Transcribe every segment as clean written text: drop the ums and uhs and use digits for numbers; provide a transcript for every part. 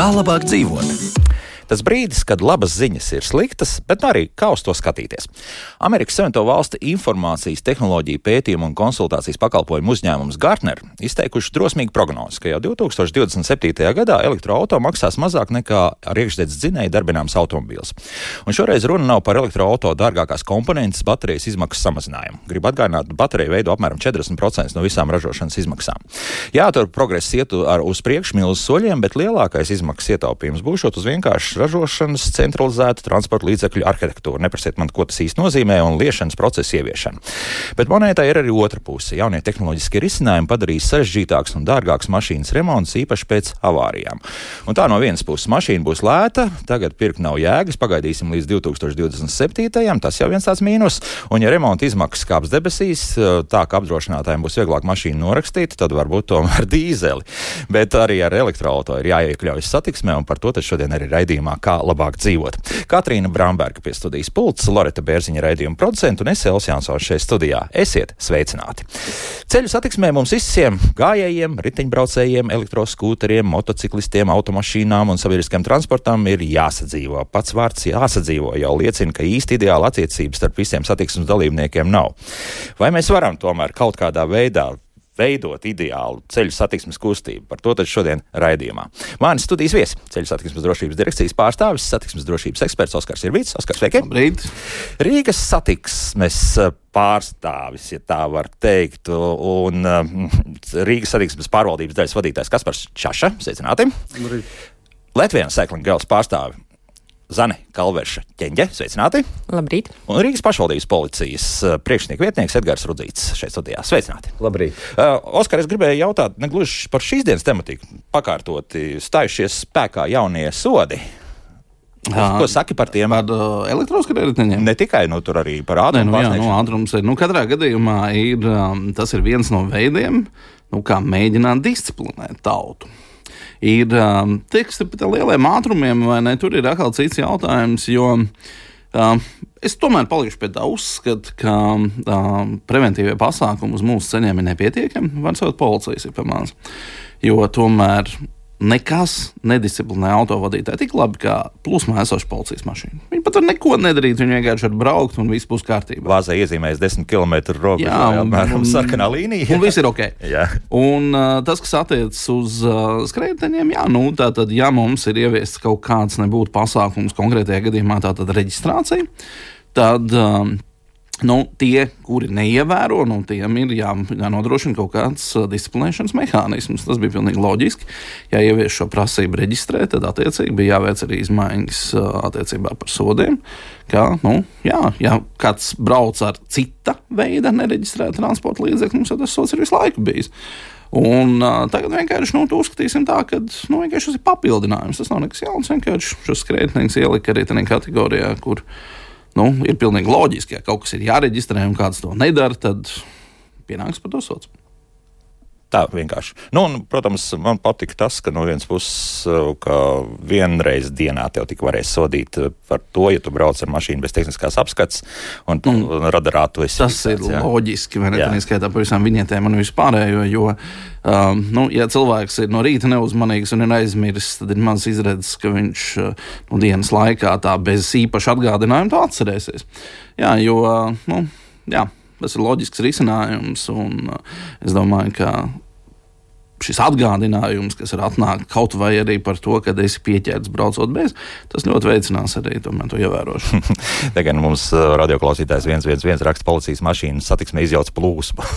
Kā labāk dzīvot? Tas brīdis, kad labas ziņas ir sliktas, bet arī kā uz to skatīties. Amerikas Savienoto Valstu informācijas tehnoloģiju pētījumu un konsultācijas pakalpojumu uzņēmums Gartner izteikuši drosmīgu prognozi, ka jau 2027. gadā elektroauto maksās mazāk nekā ar iekšdedzes dzinēju darbināms automobīls. Un šoreiz runa nav par elektroauto dārgākās komponentes baterijas izmaksu samazinājumu. Gribu atgādināt, baterija veido apmēram 40% no visām ražošanas izmaksām. Jā, tur progress iet uz priekšu milzu soļiem, bet lielākais izmaksas ietaupījums būšot uz vienkārši ražošanas centralizētu transporta līdzekļu arhitektūru. Neprasiet man, ko tas īsti nozīmē, un liešanas procesa ieviešana. Bet monētai ir arī otra puse. Jaunie tehnoloģiskie risinājumi padarīs sarežģītāks un dārgāks mašīnas remonts, īpaši pēc avārijām. Un tā no vienas puses mašīna būs lēta, tagad pirkt nav jēgas, pagaidīsim līdz 2027. Tas jau viens tāds mīnus. Un ja remonta izmaksas kāps debesīs, tā ka apdrošinātājiem būs vieglāk mašīnu norakstīt, tad varbūt tomēr dīzeli. Bet arī ar elektroauto ir jāiekļaujas satiksmē, un par to tad šodien arī raidījumā Kā labāk dzīvot. Katrīna Bramberga pie studijas pults, Loreta Bērziņa raidījuma producenta un es Elvis Jansons šeit studijā. Esiet sveicināti! Ceļu satiksmē mums visiem gājējiem, riteņbraucējiem, elektroskūteriem, motociklistiem, automašīnām un sabiedriskajam transportam ir jāsadzīvo. Pats vārds jāsadzīvo jau liecina, ka īsti ideāla attiecības starp visiem satiksmes dalībniekiem nav. Vai mēs varam tomēr kaut kādā veidā veidot ideālu ceļu satiksmes kustību? Par to tad šodien raidījumā. Mani studijas viesi, ceļu satiksmes drošības direkcijas pārstāvis, satiksmes drošības eksperts Oskars Irvīts. Oskars, sveiki! Labrīt! Rīgas satiksmes pārstāvis, ja tā var teikt, un Rīgas satiksmes pārvaldības daļas vadītājs Kaspars Čaša. Sveicināti! Labrīt! Latvijas Cycling Girls pārstāvi Zane Kalverša Ķeņģe. Sveicināti! Labrīt! Un Rīgas pašvaldības policijas priekšnieku vietnieks Edgars Rudzīts šeit studijā. Sveicināti! Labrīt! Oskar, es gribēju jautāt, negluži par šīs dienas tematiku, pakārtoti stājušies spēkā jaunie sodi. Ko saki par tiem? Par elektroskrējējiem? Ne tikai, tur arī par ātrumu pārsniegšanu. Ātrums ir. Katrā gadījumā tas ir viens no veidiem, kā mēģināt disciplinēt tautu. Ir teksti par lieliem ātrumiem, vai ne? Tur ir atkal cits jautājums, jo es tomēr palikšu pie tā uzskata, ka preventīvie pasākumi uz mūsu ceļiem ir nepietiekami, var saukt policijas ir pamāns, jo tomēr nekas nedisciplinē autovadītāju tik labi kā plūsmā esoša policijas mašīna. Viņi pat var neko nedarīt, viņi vienkārši var braukt un viss būs kārtībā. Vāzē iezīmējas 10 km robežu, apmēram sarkanā līnija. Un viss ir ok. Jā. Un tas, kas attiecas uz skrējējiem, tātad, ja mums ir ieviests kaut kāds nebūtu pasākums, konkrētajā gadījumā tātad reģistrācija, tad tie, kuri neievēro, tiem ir jānodrošina kaut kāds disciplinēšanas mehānisms. Tas bija pilnīgi loģiski. Ja ievies šo prasību reģistrēt, tad attiecīgi bija jāveic arī izmaiņas attiecībā par sodiem. Ja kāds brauc ar cita veida nereģistrētu transporta līdzekļu, mums jau tas sods ir visu laiku bijis. Un tagad vienkārši uzskatīsim tā, ka vienkārši tas ir papildinājums. Tas nav nekas jauns, vienkārši šos skrējējus ielika arī tādā kategorijā, kur ir pilnīgi loģiski, ja kaut kas ir jāreģistrē un kāds to nedara, tad pienāks par to sots. Tā vienkārši. Protams, man patika tas, ka no vienas puses, ka vienreiz dienā tev tik varēs sodīt par to, ja tu brauc ar mašīnu bez tehniskās apskats un radarā tu esi. Tas ir loģiski, vai ne? Tā neskaitā par visām viņietēm un vispārējo, jo, ja cilvēks ir no rīta neuzmanīgs un ir aizmirsis, tad ir maz izredzes, ka viņš dienas laikā tā bez īpaša atgādinājuma to atcerēsies. Tas ir loģisks risinājums, un es domāju, ka šis atgādinājums, kas ir atnāk kaut vai arī par to, ka esi pieķērts braucot bez, tas ļoti veicinās arī to ievērošanu. Tagad mums radioklausītājs 111 raksta policijas mašīnas satiksmē izjauc plūsmu.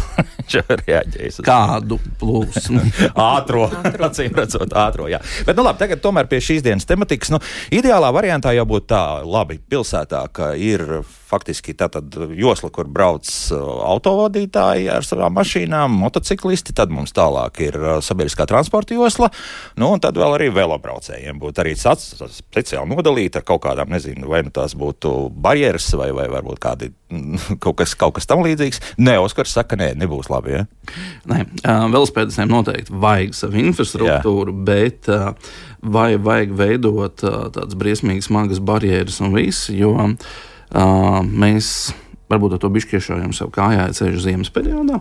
Kādu plūsmu? Ātro. Acīm redzot, ātro, jā. Bet labi, tagad tomēr pie šīs dienas tematikas. Ideālā variantā jau būtu tā, labi, pilsētā, ka ir faktiski tātad josla, kur brauc autovadītāji ar savām mašīnām, motociklisti, tad mums tālāk ir sabiedriskā transporta josla, un tad vēl arī velobraucējiem būtu arī speciāli nodalīta ar kaut kādām, nezinu, vai tās būtu barjeras vai varbūt kādi kaut kas tam līdzīgs. Oskars saka, nebūs labi, ja? Nē, velospēdistiem noteikti vajag savu infrastruktūru, bet vai vajag veidot tādas briesmīgi smagas barjeras un viss, jo mēs varbūt ar to bišķiešojam sev kājā ceļu ziemas periodā.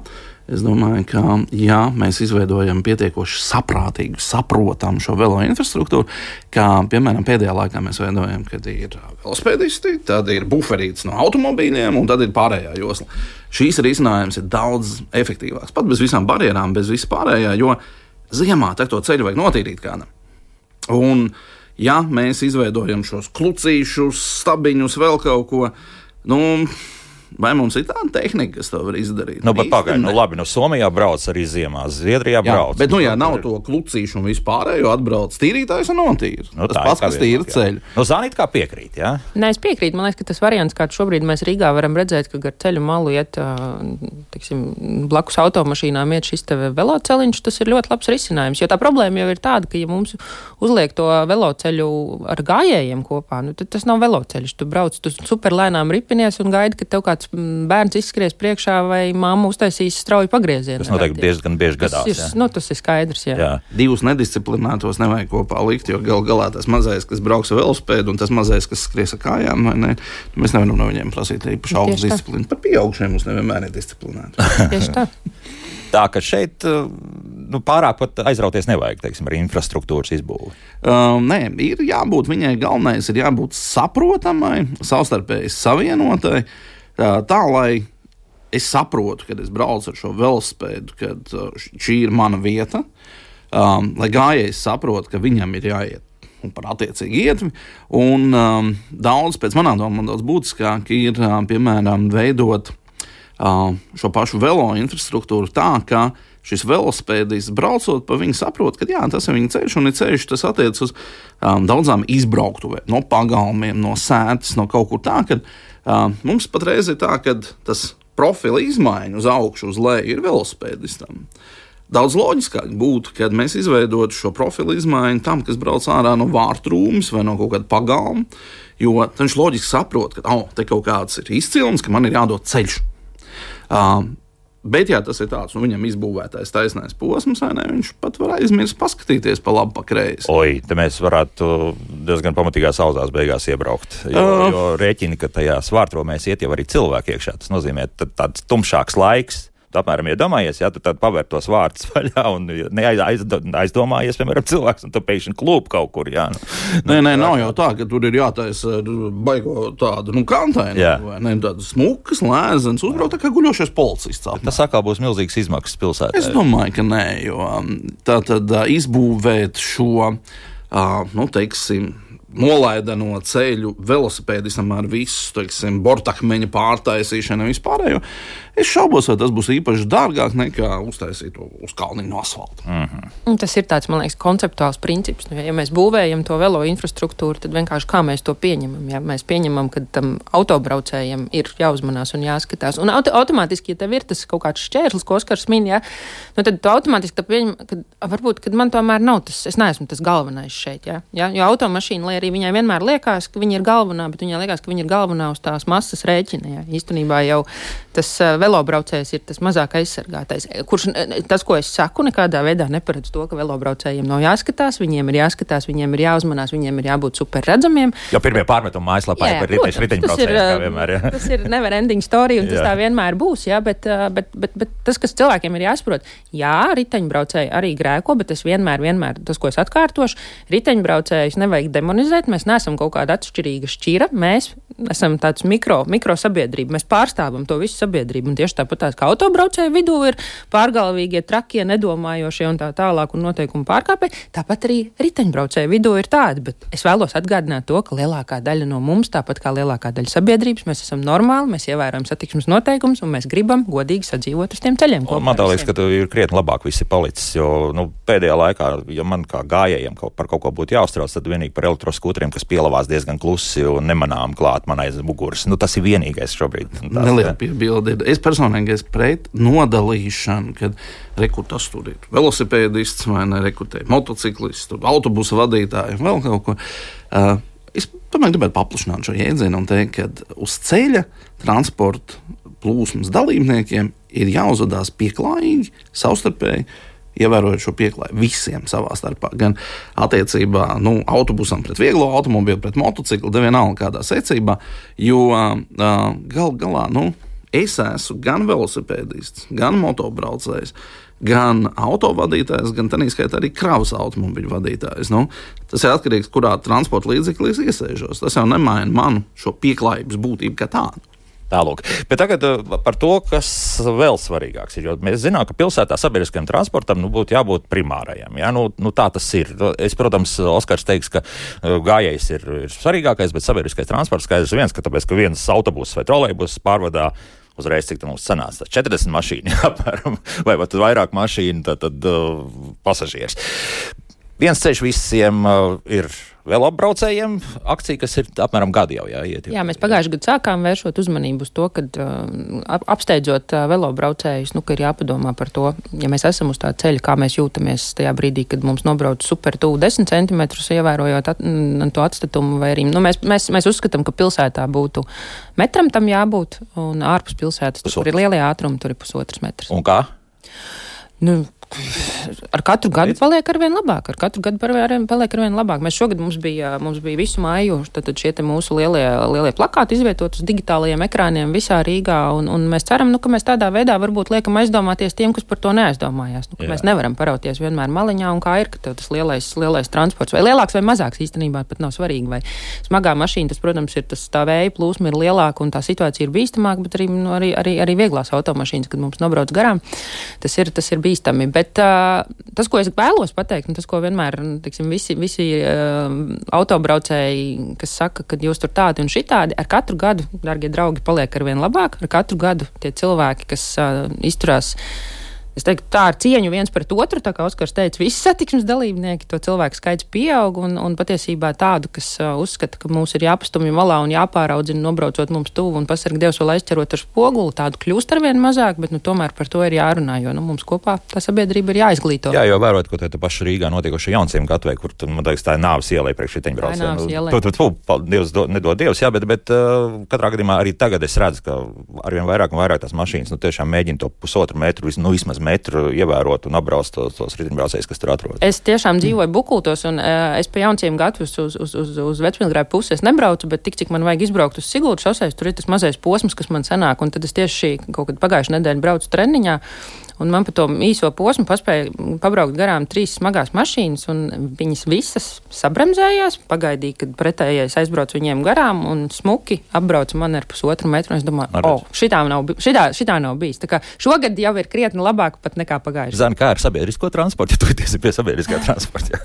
Es domāju, ka ja mēs izveidojam pietiekoši saprātīgu, saprotamu šo velo infrastruktūru, kā piemēram pēdējā laikā mēs veidojam, kad ir velospēdisti, tad ir buferītes no automobīļiem un tad ir pārējā josla. Šīs risinājums ir daudz efektīvāks, pat bez visām barjerām, bez viss pārējā, jo ziemā to ceļu vajag notīrīt kādam. Un ja mēs izveidojam šos klucīšus, stabiņus, vēl kaut ko, vai mums ir tāda tehnika, kas to var izdarīt? Bet pagaidi, labi, Somijā brauc arī ziemā, Zviedrijā brauc. Bet, ja nav to klucīšu un vispārējo atbrauc tīrītājs un notīra. Tas pats, kas tīra ceļu. Zānīt, kā piekrīt, jā? Nē, es piekrītu. Man liekas, ka tas variants, kāds šobrīd mēs Rīgā varam redzēt, ka gar ceļu malu iet, blakus automašīnām iet šis te veloceliņš, tas ir ļoti labs risinājums. Jo tā problēma jau ir tāda, ka ja mums uzliek to veloceļu ar gājējiem kopā, tad tas nav veloceļš. Tu brauc, tu superlēnām ripinies un gaidi, ka tev kāds bērns izskries priekšā vai mamma uztaisīs strauju pagriezienu. Tas noteikti diezgan bieži gadās. Tas ir skaidrs, jā. Divus nedisciplinātos nevajag kopā likt, jo galā tas mazais, kas brauks ar velospēdu un tas mazais, kas skries ar kājām, mēs nevaram no viņiem prasīt īpaši augstu disciplīnu. Par pieaugšiem mums nevienmēr ir disciplinēti. Tieši tā. Tā, ka šeit pārāk pat aizrauties nevajag, ar infrastruktūras izbūvi. Nē, ir jābūt viņai galvenais, ir jābūt saprotamai, savstarpēji savienotai, tā, lai es saprotu, kad es braucu ar šo velospēdu, kad šī ir mana vieta, lai gājējs saprot, ka viņam ir jāiet un par attiecīgi ietvi. Un daudz, pēc manām domām, daudz būtiskāk ir, piemēram, veidot šo pašu velo infrastruktūru tā, ka šis velospēdists braucot pa viņu saprot, ka jā, tas ir viņa ceļš un ir ceļš, tas attiec uz daudzām izbrauktuvēm, no pagalmiem, no sētas, no kaut kur tā, kad mums patreiz ir tā, ka tas profila izmaiņa uz augšu, uz leju ir velospēdistam. Daudz loģiskāk būtu, kad mēs izveidotu šo profilu izmaiņu tam, kas brauc ārā no vārtrūmes vai no kaut kāda pagalma, jo viņš loģiski saprot, ka te kaut kāds ir izcilums, ka man ir jādod ceļš. Bet, ja tas ir tāds, viņam izbūvētais taisnais posms, viņš pat var aizmirst paskatīties pa labi, pa kreisi. Te mēs varētu diezgan pamatīgās auzās beigās iebraukt, jo rēķini, ka tajā svārtromēs iet jau arī cilvēki iekšā. Tas nozīmē tāds tumšāks laiks. Tu apmēram iedomājies, tu tad pavērt tos vārtus vaļā un aizdomājies, piemēram, cilvēks, un tu pēkšņi klūp kaut kur, Nē, nav jau tā, ka tur ir jātaisa baigo tādu, kantainu, vai ne, tādu smukas, lēzens, uzbraukt tā kā guļošais policists. Tas atkal būs milzīgas izmaksas pilsētā. Es domāju, ka nē, jo tā tad izbūvēt šo, nolaideno ceļu velosipēdistam ar visu, bortakmeņa pārtaisīšanu un vispārējo. Es šaubos, vai tas būs īpaši dārgāk nekā uztaisīt to uz kalniņu no asfalta. Tas ir tāds, man liekas, konceptuāls princips. Ja mēs būvējam to velo infrastruktūru, tad vienkārši kā mēs to pieņemam. Ja mēs pieņemam, ka tam autobraucējiem ir jāuzmanās un jāskatās. Un automātiski, ja tev ir tas kaut kāds šķērslis, ko Oskars min, tad tu automātiski pieņem, ka varbūt, kad man tomēr nav tas, es neesmu tas galvenais šeit. Ja? Jo automašīna, lai arī viņai vienmēr liekas, ka viņa ir galvenā, bet viņai liekas, ka viņa ir galvenā uz tās masas rēķina. Ja? Īstenībā jau tas velobraucējs ir tas mazāk aizsargātais. Kurš tas, ko es saku, nekādā veidā neparedz to, ka velobraucējiem nav jāskatās, viņiem ir jāskatās, viņiem ir jāuzmanās, viņiem ir jābūt super redzamiem. Jo pirmie pārmetumi mājaslapā ir par riteņbraucējiem, kā vienmēr. Tas ir never ending story, un tas tā vienmēr būs, bet tas, kas cilvēkiem ir jāsaprot, riteņbraucēji arī grēko, bet es vienmēr, tas, ko es atkārtošu, riteņbraucējus nevajag demonizēt, mēs neesam kaut kāda atšķirīga šķira, mēs esam tāds mikro sabiedrība, mēs pārstāvam to visu sabiedrību, un tieši tāpat kā autobraucēju vidū ir pārgalvīgie, trakie, nedomājošie un tā tālāk un noteikumu pārkāpēji, tāpat arī riteņbraucēju vidū ir tādi, bet es vēlos atgādināt to, ka lielākā daļa no mums, tāpat kā lielākā daļa sabiedrības, mēs esam normāli, mēs ievērojam satiksmes noteikumus un mēs gribam godīgi sadzīvot uz tiem ceļiem. Man tā liekas, ka ir krietni labāk visi palicis, jo pēdējā laikā, ja man kā gājējiem par kaut ko būtu jāuztrauc, tad vienīgi par elektroskūteriem, kas pielavās diezgan klusi un nemanām klāt man aiz muguras. Tas ir vienīgais šobrīd. Neliela piebilde. Es personīgi esmu pret nodalīšanu, kad tas tur ir velosipēdists vai motociklists, autobusu vadītāji, vēl kaut ko. Es tomēr gribētu paplašināt šo jēdzienu un teikt, ka uz ceļa transporta plūsmas dalībniekiem ir jāuzvedās pieklājīgi, savstarpēji, ievērojot šo pieklājību visiem savā starpā. Gan attiecībā autobusam pret vieglo automobīlu, pret motociklu, vienalga kādā secībā, jo gal galā, es esmu gan velosipēdists, gan motobraucējs, gan autovadītājs, gan tādā skaitā arī kravas automobiļu vadītājs. Tas ir atkarīgs, kurā transporta līdzeklī es iesēžos. Tas jau nemaina manu šo pieklājības būtību kā tādu. Tālūk. Bet tagad par to, kas vēl svarīgāks ir. Jo mēs zinām, ka pilsētā sabiedriskajam transportam būtu jābūt primārajam. Ja? Tā tas ir. Es, protams, Oskars teiks, ka gājējs ir svarīgākais, bet sabiedriskais transports skaidrs viens, ka tāpēc, ka viens autobus vai trolejbus pārvadā uzreiz, cik mums sanāca, 40 mašīnu, apmēram, vai pat vairāk mašīnu, tad pasažieris. Viens ceļš visiem ir velobraucējiem akcija, kas ir apmēram gadu jau jāiet. Jā, mēs pagājušajā gadā sākām vēršot uzmanību uz to, kad apsteidzot velobraucējus, ka ir jāpadomā par to, ja mēs esam uz tā ceļa, kā mēs jūtamies tajā brīdī, kad mums nobrauc super tuvu 10 centimetrus, ievērojot to atstatumu, vai arī, mēs uzskatām, ka pilsētā būtu metram tam jābūt, un ārpus pilsētas, tur ir lielie ātrumi, tur ir 1,5 metrs. Un kā? Ar katru gadu paliek arvien labāk. Mēs šogad mums bija visu māju šie te mūsu lielie plakāti izvietot uz digitālajiem ekrāniem visā Rīgā, un mēs ceram, ka mēs tādā veidā varbūt liekam aizdomāties tiem, kas par to neaizdomājās. Ka mēs nevaram parauties vienmēr maliņā, un kā ir, ka tas lielais transports, vai lielāks vai mazāks īstenībā pat nav svarīgi, vai smagā mašīna, tas, protams, ir tā vēja plūsma ir lielāka un tā situācija ir bīstamāka, bet arī vieglās automašīnas, kad mums nobrauc garām, tas ir bīstami. Bet tas, ko es vēlos pateikt, un tas, ko vienmēr visi autobraucēji, kas saka, ka jūs tur tādi un šitādi, ar katru gadu, dargie draugi, paliek arvien labāk, ar katru gadu tie cilvēki, kas izturās, es teiktu, tā ar cieņu viens pret otru, tā kā Oskars teica, visi satiksmes dalībnieki, to cilvēku skaits pieaug, un patiesībā tādu, kas uzskata, ka mūs ir jāpastumj malā un jāpāraudzina, nobraucot mums tuvu un pasarg Dievs vēl aizķerot ar spoguli, tādu kļūst arvien mazāk, bet tomēr par to ir jārunā, jo mums kopā tā sabiedrība ir jāizglīto. Jā, jo vērot, ko te paši Rīgā notiekoši Jaunciem gatavē, kur, man liekas, tā ir nāves ielai priekš riteņbraucējiem. Dievs nedod Dievs, jā, bet katrā gadījumā arī tagad es redzu, ka arvien vairāk un vairāk tās mašīnas tiešām mēģina to 1,5 metru, vismaz metru ievērot un apbrauc tos riteņbraucējus, kas tur atrodas. Es tiešām dzīvoju Bukultos, un es pa Jaunciem gatavus uz Vecmilgrāju pusi es nebraucu, bet tik, cik man vajag izbraukt uz Siguldas šoseis, tur ir tas mazais posms, kas man sanāk, un tad es tieši kaut kad pagājušajā nedēļā braucu treniņā, un man pa to īso posmu paspēja pabraukt garām 3 smagās mašīnas, un viņas visas sabremzējās, pagaidīja, kad pretējais aizbrauc viņiem garām, un smuki apbrauca man ar 1,5 metru, un es domāju, šitā nav bijis. Tā kā šogad jau ir krietni labāk pat nekā pagājuši. Zani, kā ar sabiedrisko transportu, ja tu esi pie sabiedriskā transporta?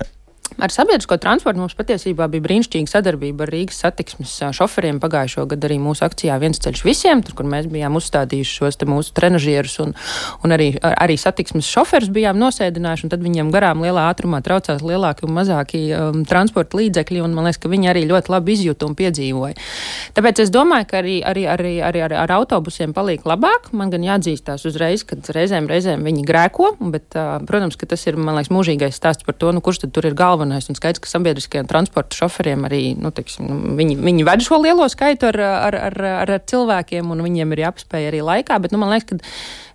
Ar sabiedrisko transportu mums patiesībā bija brīnišķīga sadarbība ar Rīgas satiksmes šoferiem. Pagājušo gadu arī mūsu akcijā Viens ceļš visiem, tur, kur mēs bijām uzstādījuši šos te mūsu trenažierus un arī satiksmes šoferus bijām nosēdinājuši, un tad viņiem garām lielā ātrumā traucās lielāki un mazāki transporta līdzekļi, un man liekas, ka viņi arī ļoti labi izjūta un piedzīvoja. Tāpēc es domāju, ka arī ar autobusiem paliek labāk. Man gan jāatzīstās uzreiz, kad reizēm viņi grēko, bet, protams, ka tas ir, man liekas, mūžīgais stāsts par to, kurš tad tur ir galvenais. Un skaidrs, ka sabiedriskajiem transporta šoferiem arī, viņi ved šo lielo skaitu ar cilvēkiem, un viņiem ir jāpaspēj arī laikā, bet, man liekas, ka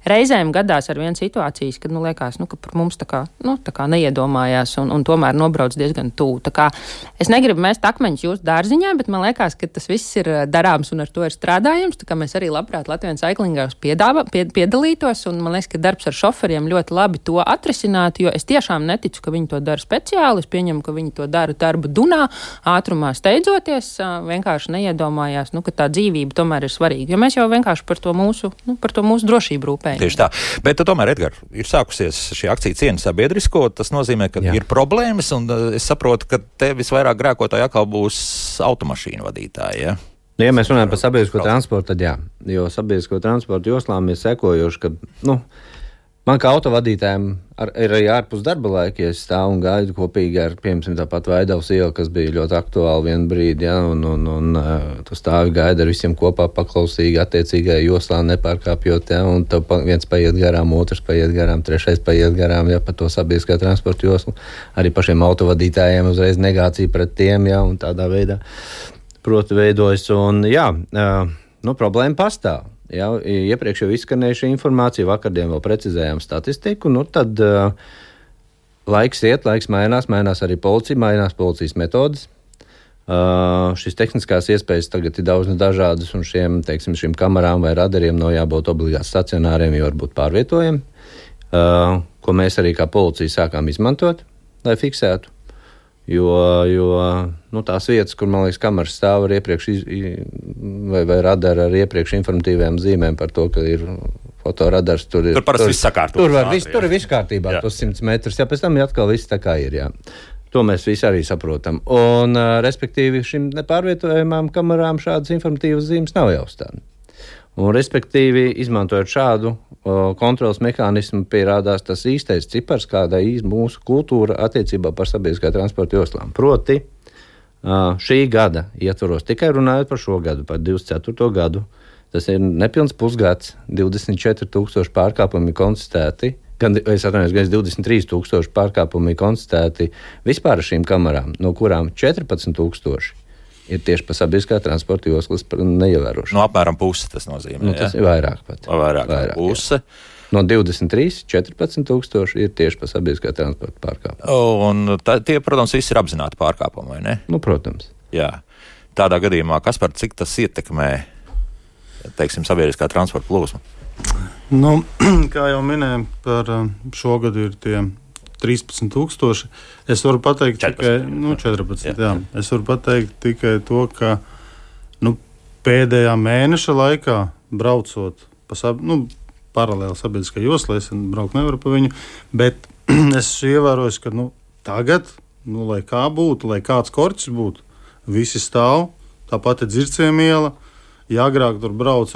reizēm gadās ar vienu situācijas, kad, liekas, ka par mums tā kā neiedomājās un tomēr nobrauc diezgan tuvu. Tā kā es negribu mest akmeņus jūsu dārziņā, bet man liekas, ka tas viss ir darāms un ar to ir strādājams, tā kā mēs arī labprāt Latvijas Cyclingos piedalītos, un man liekas, ka darbs ar šoferiem ļoti labi to atrisinātu, jo es tiešām neticu, ka viņi to dara speciāli, es pieņemu, ka viņi to dara darba dunā, ātrumā steidzoties, vienkārši neiedomājās, ka tā dzīvība tomēr ir svarīga, jo mēs jau vienkārši par to mūsu drošību rūpējamies. Tieši tā. Bet tomēr, Edgar, ir sākusies šī akcija Ciena sabiedrisko. Tas nozīmē, ka ir problēmas, un es saprotu, ka te visvairāk grēkotāji atkal būs automašīnu vadītāji. Ja? Ja mēs runājam par sabiedrisko transportu, tad jā. Jo sabiedrisko transportu joslām ir sekojoši, ka, man kā autovadītājiem ir arī ārpus darba laika, ja es stāvu un gaidu kopīgi ar, piemēram, tāpat Vaidavas ielu, kas bija ļoti aktuāli vienu brīdi, ja, un tu stāvi gaidi ar visiem kopā paklausīgi, attiecīgai joslā nepārkāpjot, ja, un tev viens paiet garām, otrs paiet garām, trešais paiet garām, ja, pa to sabiedriskā transporta joslu. Arī pašiem autovadītājiem uzreiz negācija pret tiem, ja, un tādā veidā proti veidojas, un jā, problēma pastāv. Jā, iepriekš jau izskanējuši informāciju, vakardien vēl precizējām statistiku, tad laiks iet, laiks mainās arī policija, mainās policijas metodas. Šīs tehniskās iespējas tagad ir daudz dažādas, un šīm kamerām vai radariem nav jābūt obligāti stacionāriem, jo varbūt pārvietojami, ko mēs arī kā policija sākām izmantot, lai fiksētu. Jo tās vietas, kur, man liekas, kameras stāv ar iepriekš vai radara ar iepriekš informatīvām zīmēm par to, ka ir fotoradars, tur parasti viss sakārtots. Tur ir viss kārtībā, tos 100 metrus, pēc tam atkal viss tā kā ir, To mēs visi arī saprotam. Un, respektīvi, šim nepārvietojamām kamerām šādas informatīvas zīmes nav jāuzstāda. Un, respektīvi, izmantojot šādu kontrolas mehānismu, pierādās tas īstais cipars, kāda ir mūsu kultūra attiecībā par sabiedriskā transporta joslām. Proti, šī gada ietvaros, tikai runājot par šo gadu, par 24. gadu, tas ir nepilns pusgads, 24,000 pārkāpumi konstatēti, gan 23,000 pārkāpumi konstatēti vispār ar šīm kamerām, no kurām 14,000 ir tieši pa sabiedriskā transporta joslas neievērošanu. No apmēram puse tas nozīmē, tas ir vairāk pat. Vairāk puse. No 23, 14,000 ir tieši pa sabiedriskā transporta pārkāpumu. Un tie, protams, visi ir apzināti pārkāpumi, vai ne? Protams. Jā. Tādā gadījumā, Kaspar, cik tas ietekmē, teiksim, sabiedriskā transporta plūsmu? Kā jau minēju, par šogad ir tie 13,000. Es varu pateikt 14. Jā. Es varu pateikt tikai to, ka pēdējā mēneša laikā braucot paralēli sabiedriskā joslā, es braukt nevaru pa viņu, bet es ievēroju, ka tagad, lai kā būtu, lai kāds korķis būtu, visi stāv, tāpat ir Dzirciem iela, ja agrāk tur brauc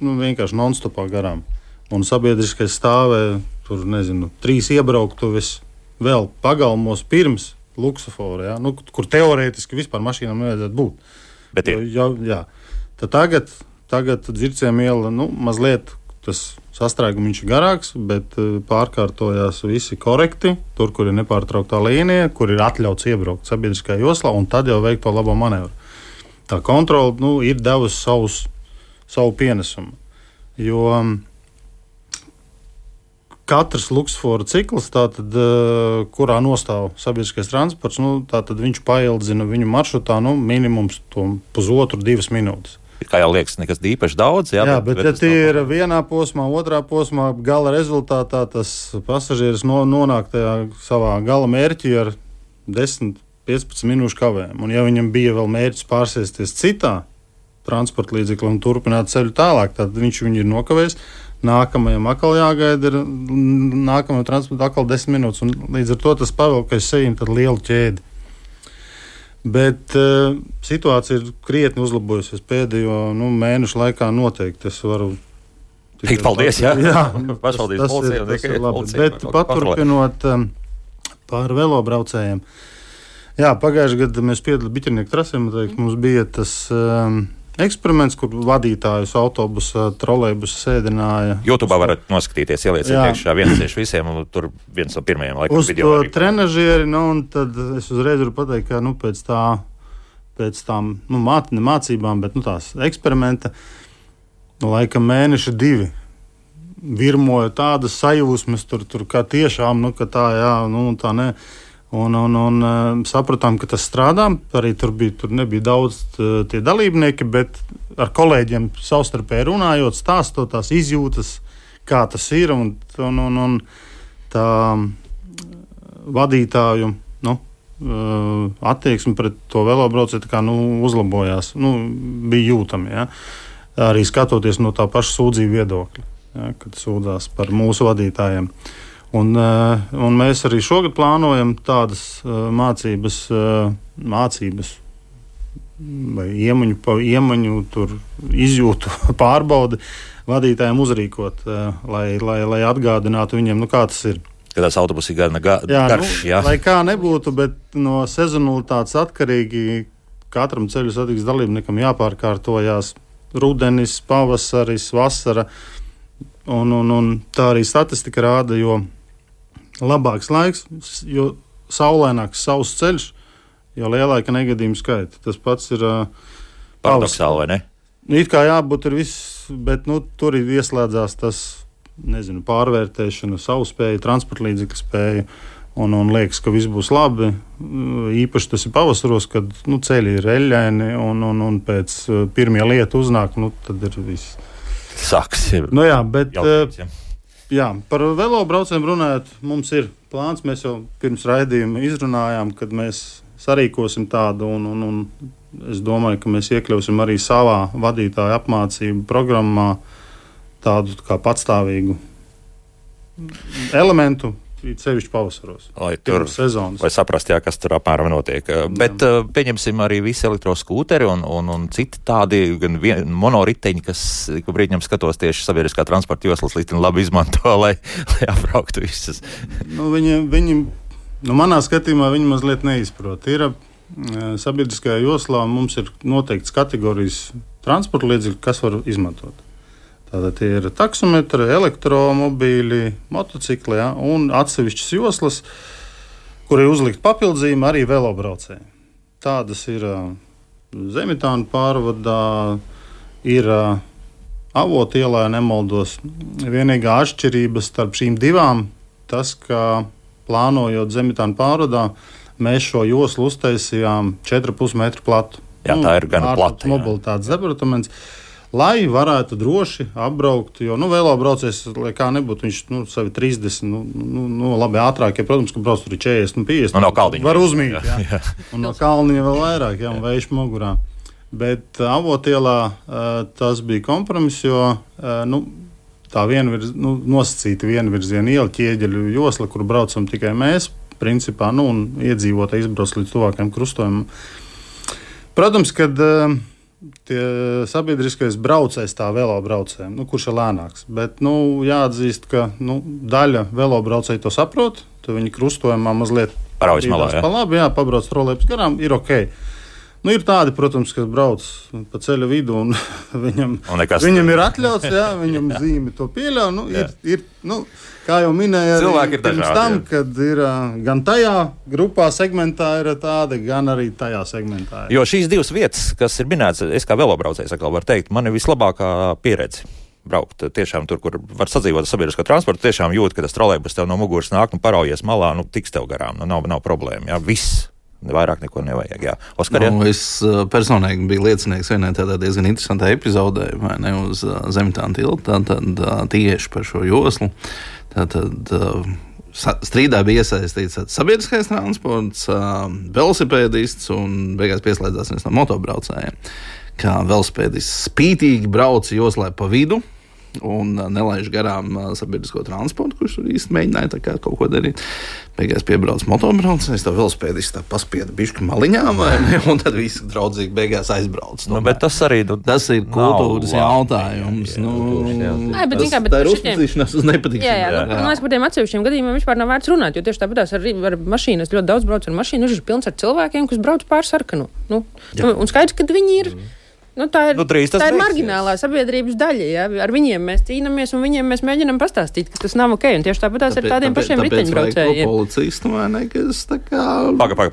vienkārši non-stopā garām. Un sabiedriskais stāvē, tur, 3 iebrauktuves vēl pagalmos pirms luksofora, kur teorētiski vispār mašīnām nevajadzētu būt. Bet Tad tagad Dzirciem iela, mazliet tas sastrēgums ir garāks, bet pārkārtojās visi korekti, tur, kur ir nepārtrauktā līnija, kur ir atļauts iebraukt sabiedriskajā joslā, un tad jau veikt to labo manevru. Tā kontrole ir devusi savu pienesumu. Jo katrs luksofora cikls, tātad, kurā nostāv sabiedriskais transports, tātad viņš paildzina viņu maršrutā minimums 1,5–2 minūtes. Kā jau liekas, nekas īpaši daudz. Jā, bet ja tie ir vienā posmā, otrā posmā, gala rezultātā tas pasažieris nonāk tajā savā gala mērķī ar 10–15 minūšu kavējumu. Un ja viņam bija vēl mērķis pārsēsties citā transporta līdzekli un turpināt ceļu tālāk, tad viņš viņu ir nokavējis. Nākamajam atkal jāgaida, nākamajam transportam atkal 10 minūtes, un līdz ar to tas pavelkais sejam tad lielu ķēdi. Bet situācija ir krietni uzlabojusies pēdējo mēnešu laikā noteikti. Es varu teikt paldies, jā. Tas ir labi. Bet paturpinot par velobraucējiem. Jā, pagājušajā gadā mēs piedalījāmies Biķernieku trasē, mums bija tas eksperiments, kur vadītājus autobusa, trolejbusa sēdināja. YouTube varat noskatīties, ielieciet iekšā viens visiem, un tur viens no pirmajiem laikam uz video. Uz to trenažieri, un tad es uzreiz varu pateikt, ka pēc tām mācībām, bet tās eksperimenta, laikam mēneši 2 virmoja tādas sajūsmas, tur kā tiešām, ka tā jā, tā ne. Un sapratām, ka tas strādā. Arī tur nebija daudz tie dalībnieki, bet ar kolēģiem savstarpēji runājot, stāstot tās izjūtas, kā tas ir. Un tā vadītāju attieksme pret to velobraucēju uzlabojās. Bija jūtami. Ja? Arī skatoties no tā paša sūdzību viedokļa, ja? Kad sūdzās par mūsu vadītājiem. Un mēs arī šogad plānojam tādas mācības vai iemaņu izjūtu pārbaudi vadītājiem uzrīkot, lai atgādinātu viņiem, kā tas ir. Kad tas autobus ir garš, jā. Lai kā nebūtu, bet no sezonalitātes atkarīgi katram ceļu satiksmes dalībniekam jāpārkārtojās rudenis, pavasaris, vasara. Un tā arī statistika rāda, jo labāks laiks, jo saulaināks sauss ceļš, jo lielāka negadījumu skaita. Tas pats ir paradoxāli, vai ne? It kā jābūt ir viss, bet tur ir ieslēdzās tas, pārvērtēšana, savu spēju, transporta līdzekļu spēju, un liekas, ka viss būs labi. Īpaši tas ir pavasaros, kad ceļi ir eļļaini un pēc pirmie lieta uznāk, tad ir viss. Sāks. Bet par velobraucējiem runājot, mums ir plāns. Mēs jau pirms raidījuma izrunājām, kad mēs sarīkosim tādu, un es domāju, ka mēs iekļausim arī savā vadītāja apmācību programmā tādu kā patstāvīgu elementu, sevišķi pavasaros. Lai tur saprast, kas tur apmēram notiek. Bet pieņemsim arī visi elektroskūteri un citi tādi, gan monoriteņi, kas brīdņam skatos tieši sabiedriskā transporta joslas līdz labi izmanto, lai apbrauktu visas. Viņi, manā skatījumā, viņi mazliet neizprot. Ir sabiedriskajā joslā mums ir noteikts kategorijas transporta līdzekļi, kas var izmantot. Tātad tie ir taksometri, elektromobīļi, motocikli un atsevišķas joslas, kur ir uzlikt papildzījumu arī velobraucēji. Tādas ir Zemitāna pārvadā, ir Avotu ielā, ja nemaldos. Vienīgā atšķirība starp šīm divām, tas, ka plānojot Zemitāna pārvadā, mēs šo joslu uztaisījām 4,5 metru platu. Jā, tā ir gan plata. Mobilitātes departaments. Lai varētu droši apbraukt, jo velobraucējs, lai kā nebūtu, viņš savi 30, labi ātrāk, ja, protams, ka brauc tur 40, 50. No kalniņa. Var uzmīt, jā. Un no kalniņa vēl vairāk, jā, un vējš mugurā. Bet Avotielā tas bija kompromiss, jo tā nosacīta vienvirziena iela ķieģeļu josla, kur braucam tikai mēs, principā, un iedzīvotāji izbrauc līdz tuvākajam krustojumam. Protams, kad tie sabiedriskais braucējs tā velobraucējiem, kurš ir lēnāks. Bet jāatzīst, ka daļa velobraucēji to saprot, tad viņi krustojumā mazliet paraujas malā, pa labi, pabrauc trolejbus garām, ir ok. Ir tādi, protams, kas brauc pa ceļa vidu un viņam ir atļauts, viņam zīme to pieļauj. Kā jau minēja, pirms tam, kad ir gan tajā grupā segmentā ir tāda, gan arī tajā segmentā. Jo šīs divas vietas, kas ir minētas, es kā velobraucējs atkal varu teikt, man ir vislabākā pieredze braukt. Tiešām tur, kur var sadzīvot sabiedrisko transportu, tiešām jūt, ka tas trolejbus tev no muguras nāk, paraujies malā, tiks tev garām, nav problēma, viss. Vairāk neko nevajag. Jā. Oskar, es personīgi biju liecinieks vienai tādā diezgan interesantai epizodē, vai ne, uz Zemitāna tilta, tieši par šo joslu. Strīdā bija iesaistīts sabiedriskais transports, velosipēdists un beigās pieslēdzās viens no motobraucējiem. Kā velosipēdists spītīgi brauca joslē pa vidu un nelaiž garām sabiedrisko transportu, kurš tur īsti mēģināja kaut ko darīt. Beigās piebrauc motobraucējs, tā velosipēdists paspieda bišķi maliņā, un tad visi draudzīgi beigās aizbrauc. Bet tas arī tas ir kultūras jautājums. Tā ir uzticīšanās uz nepatīkšanu. Man liekas, par tiem atsevišķiem gadījumiem vispār nav vērts runāt, jo tieši tāpatās ar mašīnas ļoti daudz brauc ar mašīnu, viņš ir pilns ar cilvēkiem, kas brauc pār sarkanu. Un skaidrs, ka viņi ir. Tā ir marginālā sabiedrības daļa. Ja? Ar viņiem mēs cīnāmies un viņiem mēs mēģinām pastāstīt, ka tas nav ok. Un tieši tāpatās ar tādiem pašiem riteņbraucējiem. Policistu vai ne, kas tā kā... Paga.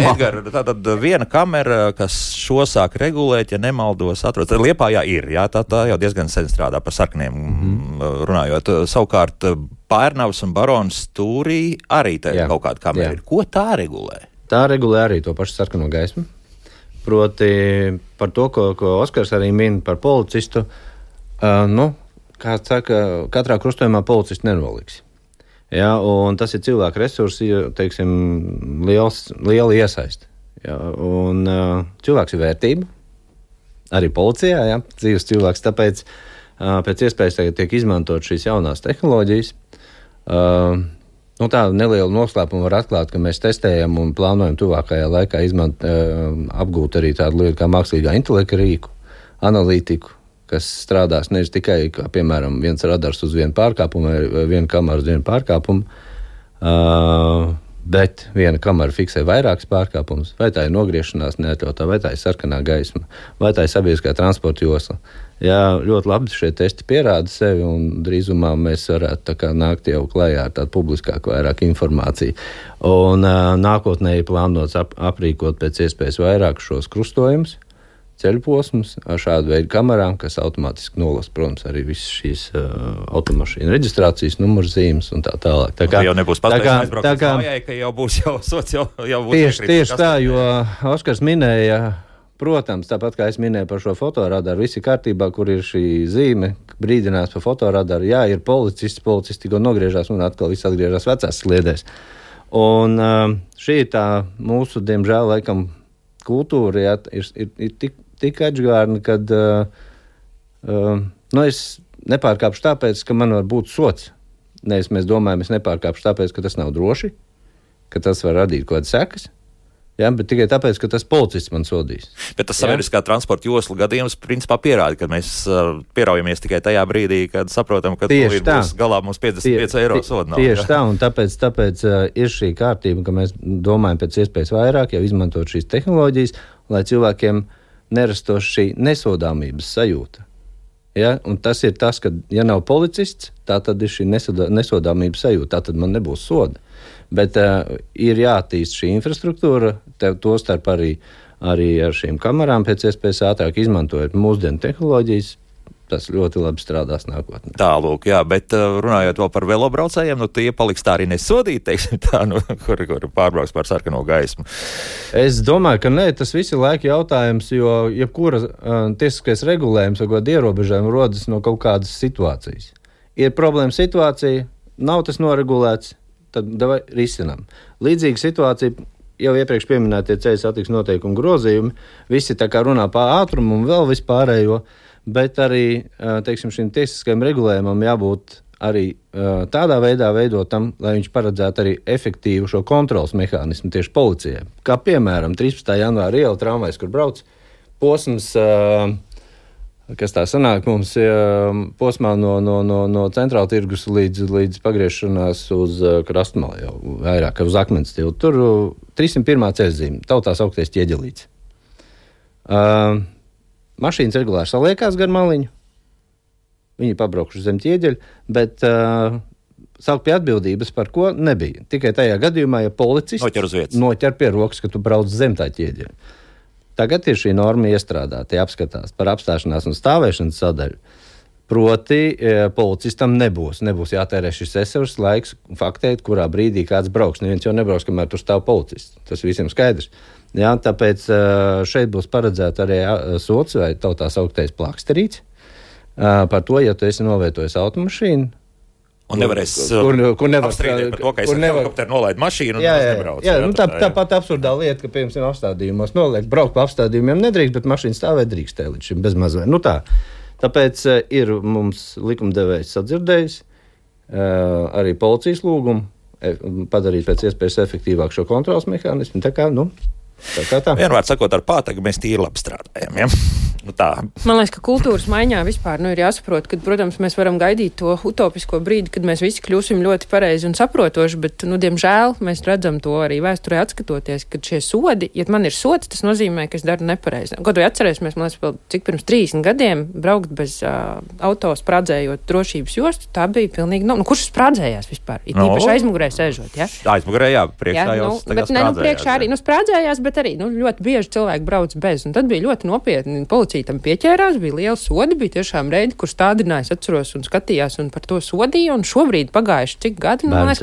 Edgar, tātad viena kamera, kas šo sāk regulēt, ja nemaldos, atrodas. Liepājā ir, jā, tā jau diezgan sen strādā par sarkaniem runājot. Savukārt Pērnavas un Baronas stūrī arī kaut kāda kamera ir. Ko tā regulē? Tā regulē arī to pašu sarkano gaismu. Proti par to, ko Oskars arī min par policistu, kā saka, katrā krustojumā policistu nenoliks. Ja, un tas ir cilvēku resursi, teiksim, liela iesaiste. Ja, un cilvēks ir vērtība, arī policijā, ja, dzīves cilvēks, tāpēc pēc iespējas tiek izmantot šīs jaunās tehnoloģijas. Tā neliela noslēpuma var atklāt, ka mēs testējam un plānojam tuvākajā laikā apgūt arī tādu lietu kā mākslīgā intelekta rīku, analītiku, kas strādās nevis tikai, kā, piemēram, viens radars uz vienu pārkāpumu vai viena kamera uz vienu pārkāpumu, bet viena kamera fiksē vairākas pārkāpumus, vai tā ir nogriešanās neatļautā, vai tā ir sarkanā gaisma, vai tā ir sabiedriskā transporta josla. Jā, ļoti labi šie testi pierāda sevi, un drīzumā mēs varētu nākt jau klajā ar tādu publiskāku vairāk informāciju. Un nākotnē ir plānots aprīkot pēc iespējas vairāk šos krustojumus, ceļu posmus ar šādu veidu kamerām, kas automātiski nolasa, protams, arī visas šīs automašīnu reģistrācijas numurzīmes un tā tālāk. Tā kā jau nebūs paspējis aizbraukt uz mājai, ka jau būs sots, jau būs tieši tā, jo Oskars minēja, protams, tāpat kā es minēju par šo fotoradaru, viss ir kārtībā, kur ir šī zīme, brīdinās par fotoradaru. Jā, ir policisti tikko nogriežās un atkal viss atgriežās vecās sliedēs. Un šī ir tā mūsu, diemžēl, laikam, kultūra, jā, ir tik atžgārna, kad es nepārkāpšu tāpēc, ka man var būt sots. Nevis mēs domājam, es nepārkāpšu tāpēc, ka tas nav droši, ka tas var radīt kaut kādas sekas. Jā, bet tikai tāpēc, ka tas policists man sodīs. Bet tas sabiedriskā transporta josla gadījums principā pierāda, ka mēs pieraujamies tikai tajā brīdī, kad saprotam, ka būs galā mums 55 eiro soda. Tieši tā, un tāpēc ir šī kārtība, ka mēs domājam pēc iespējas vairāk, jau izmantot šīs tehnoloģijas, lai cilvēkiem nerastos šī nesodāmības sajūta. Ja? Un tas ir tas, ka, ja nav policists, tā tad ir šī nesodāmības sajūta, tā tad man nebūs soda. Bet ir jāattīst šī infrastruktūra, to starp arī ar šīm kamerām pēc iespējas ātrāk izmantojot mūsdienu tehnoloģijas. Tas ļoti labi strādās nākotnē. Tālūk, jā, bet runājot vēl par velobraucējiem, tie paliks tā arī nesodīti, teiksim tā, kur pārbrauks pār sarkano gaismu. Es domāju, ka nē, tas viss ir laika jautājums, jo jebkura tiesiskais regulējums vai kāda ierobežojuma rodas no kaut kādas situācijas. Ir problēma situācija, nav tas noregulēts, tad davai risinām. Līdzīga situācija, jau iepriekš pieminētie ceļu satiksmes noteikumu grozījumi, visi tā kā runā par ātrumu un vēl vispārējo, bet arī, teiksim, šim tiesiskajam regulējumam jābūt arī tādā veidā veidotam, lai viņš paredzētu arī efektīvu šo kontrolas mehānismu tieši policijai. Kā piemēram, 13. janvāra iela tramvajs, kur brauc posms, kas tā sanāk mums, posmā no centrāla tirgus līdz pagriešanās uz Krastmalu, jau vairāk uz Akmens tiltu. Tur 301. ceļzīme, tautās augtais ķieģelīts. Mašīnas regulāri saliekās gar maliņu, viņi pabraukšu zem ķieģeļa, bet saukt pie atbildības par ko nebija. Tikai tajā gadījumā, ja policists noķer pie rokas, ka tu brauc zem tā ķieģeļa. Tagad ir šī norma iestrādāta, jāapskatās par apstāšanās un stāvēšanas sadaļu. Proti, policistam nebūs jātērē šis esevs laiks faktēt, kurā brīdī kāds brauks. Neviens jau nebrauks, kamēr tur stāv policists. Tas visiem skaidrs. Jā, tāpēc šeit būs paredzēta arī sots vai tautā sauktais plāksterīts par to, ja tu esi novietojis automašīnu. Un nevarēs apstrīdēt par to, ka es ar helikopteru nolaidu mašīnu un nebraucu. Jā, tāpat absurdā lieta, ka, piemēram, apstādījumos noliek, braukt pa apstādījumiem nedrīkst, bet mašīna stāvēt drīkstē līdz šim bez mazvē. Tāpēc ir mums likumdevējs sadzirdējis arī policijas lūgumu padarīt pēc iespējas efektīvāk šo kontrolas mehānismu. Tā. Vienmēr sakot, ar pātagu mēs tīri labi strādājam. Ja? Tā. Man liekas, ka kultūras maiņā vispār ir jāsaprot, ka, protams, mēs varam gaidīt to utopisko brīdi, kad mēs visi kļūsim ļoti pareizi un saprotoši, bet, diemžēl, mēs redzam to arī vēsturē atskatoties, ka šie sodi, ja man ir sods, tas nozīmē, ka es daru nepareizi. Kaut vai atcerēsimies, man liekas, cik pirms 30 gadiem braukt bez auto sprādzējot drošības jostu, tā bija pilnīgi, kurš sprādzējās vispār? Īpaši aizmugurē sēžot, ja? Aizmugurē, jā, priekšā jau sprādzējās. Priekšā arī, sprādzējās, bet arī, ļoti bieži cilvēki brauc bez, un tad bija ļoti nopietni. Tam pieķērās, bija liela sodi, bija tiešām reidi, kur stādinājās, atceros un skatījās un par to sodīja, un šobrīd pagājuši cik gadi, bērnu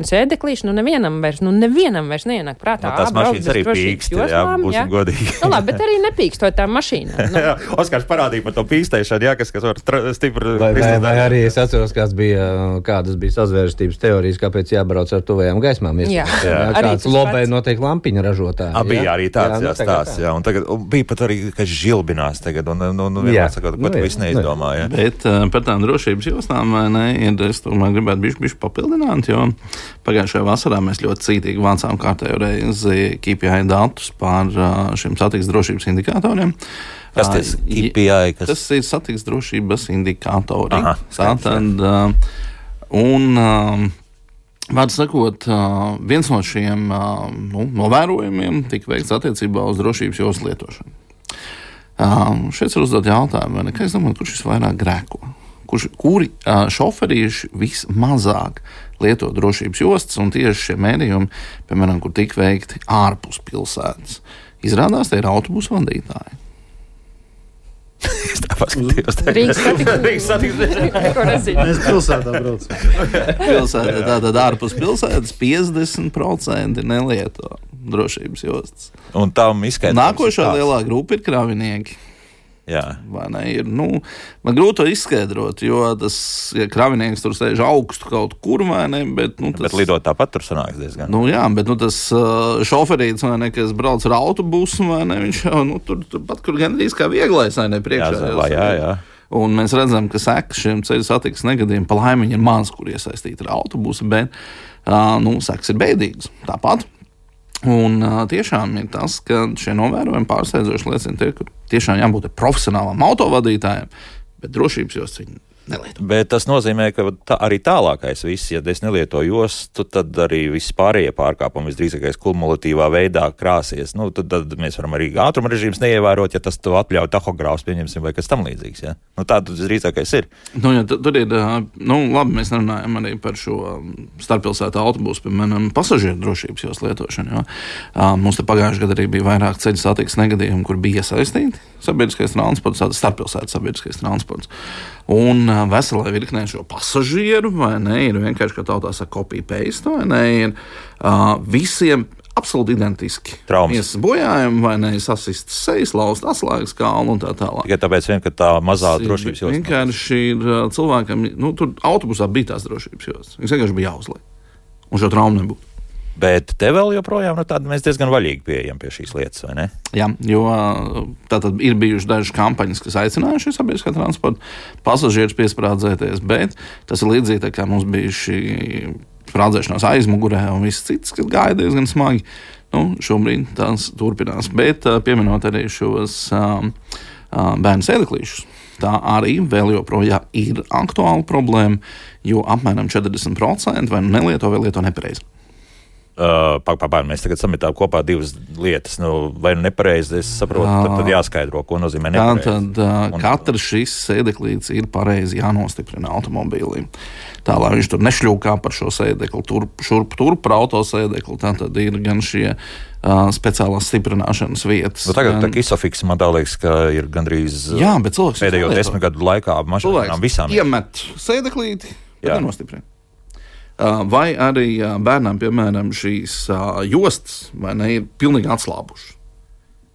sēdeklīši, nevienam vairs neienāk prātā. Tās mašīnas arī pīkst, būsim godīgi. Labi, bet arī nepīkstot tām mašīnām. Oskars parādīja par to pīkstēšanu, kas var stipri. Vai arī es atceros, kādas bija sazvērstības teorijas, kāpēc jābrauc ar tuvajām gaismām. Kāds lobē noteikti lampiņa ražotāji. Bija arī tāds stāsts, jā. Un tagad bija pat arī, ka žilbinās tagad, un vienmēr sakot, ko tu viss neizdomā. Jā. Bet par tām drošības jostām, es tomēr gribētu bišķi papildināt, jo pagājušajā vasarā mēs ļoti cītīgi vācām kārtējo reizi KPI datus par šiem satiksmes drošības indikatoriem. Kas tas KPI? Tas ir satiksmes drošības indikatori. Tātad, vārdu sakot, viens no šiem novērojumiem tika veikts attiecībā uz drošības joslas lietošanu. Šeit ir uzdot jautājumu, es domāju, kurš visvairāk grēko? Kuri šoferīši vismazāk lieto drošības jostas un tieši šie mērījumi, piemēram, kur tika veikti ārpus pilsētas. Izrādās, tie ir autobusu vadītāji. Es tā paskatījos. Rīgas satiksmes. Mēs pilsētā braucam. Pilsētā, tātad ārpus pilsētas 50% nelieto drošības jostas. Un tam izskaidrojums. Nākošā lielā grupa ir kravinieki. Jā. Vai ne? Man grūti to izskaidrot, jo tas, ja kravinieks tur sēž augstu kaut kur, vai ne? Bet lidot tāpat tur sanāks diezgan. Jā, bet tas šoferīts, vai ne, kas brauc ar autobusu, vai ne, viņš jau tur pat kur gandrīz kā vieglais, vai ne, priekšā. Jā. Un mēs redzam, ka sekas šiem ceļu satiksmes negadījumiem pa laimi ir maz, kur iesaistīti ar autobusu, bet sekas ir bēdīgas. Tāpat. Un tiešām ir tas, ka šie novērojumi pārsteidzoši liecina tie, ka tiešām jābūt profesionālam autovadītājiem, bet drošības jostas viņi nelieto. Bet tas nozīmē, ka arī tālākais viss, ja es nelietoju jostu, tad arī viss pārējie pārkāpumi visdrīzākais kumulatīvā veidā krāsies. Tad mēs varam arī ātruma režīmus neievērot, ja tas to atļauj tahogrāfs, pieņemsim, vai kas tam līdzīgs. Ja? Tā visdrīzākais ir. Tur ir, labi, mēs runājam arī par šo starppilsētu autobusu, piemēram, pasažieru drošības jostas lietošanu. Mums te pagājušajā gadā arī bija vairāk ceļu satiksmes negadījumu, kur bija iesaistīti sabiedriskais transports, starppilsētu sabiedriskais transports. Un veselai virknē šo pasažieru, vai ne, ir vienkārši, kā tautā saka, copy-paste, vai ne, ir visiem absolūti identiski. Traumas. Bojājumi, vai ne, sasistas sejas, lauzt atslēgas kalnu un tā tālāk. Tikai tāpēc ka tā mazā drošības jostas. Vienkārši ir cilvēkam, tur autobusā bija tās drošības jostas. Viņš vienkārši bija jāuzliek. Un šo traumu nebūtu. Bet te vēl joprojām mēs diezgan vaļīgi pieejam pie šīs lietas, vai ne? Jā, jo tātad ir bijušas dažas kampaņas, kas aicinājuši sabiedriskā transporta pasažierus piesprādzēties, bet tas ir līdzīgi tā kā mums bija šī sprādzēšanās aizmugurē un viss cits, kas gāja diezgan smagi. Šobrīd tās turpinās, bet pieminot arī šos bērnu sēdeklīšus. Tā arī vēl joprojām ir aktuāla problēma, jo apmēram 40% vai nelieto vai lieto nepareizi. Mēs tagad sametām kopā divas lietas. Vai nepareizi, es saprotu, tad jāskaidro, ko nozīmē nepareizi. Tātad katrs šis sēdeklīts ir pareizi jānostiprina automobīlī. Tā, lai viņš tur nešļūkā par šo sēdekli, šurp par autosēdekli. Tātad ir gan šie speciālās stiprināšanas vietas. Tagad tā Isofix, man tā liekas, ka ir gandrīz pēdējo 10 gadu laikā mašīnām visām. Iemet sēdeklīti, bet nenostiprina. Vai arī bērnām, piemēram, šīs jostas vai ne, ir pilnīgi atslābušas.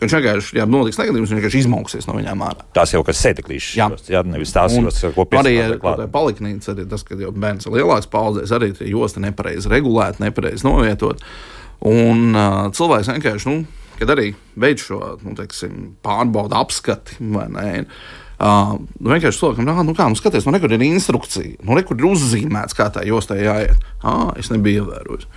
Viņš vienkārši, ja notiks negadījums, viņš vienkārši izmauksies no viņām ārā. Tās jau kas sēdeklīšas. Jā, nevis tās jostas, ko piesakās klāt. Arī paliknīca, arī tas, ka jau bērns ir lielāks paudzēs, arī tie josta nepareizi regulēti, nepareizi novietot. Un cilvēks vienkārši, kad arī veids šo, pārbauda apskati, vai ne, vienkārši cilvēkam, skaties, nekur ir instrukcija, nekur ir uzzīmēts, kā tā jostai jāiet. Es nebiju ievērojis.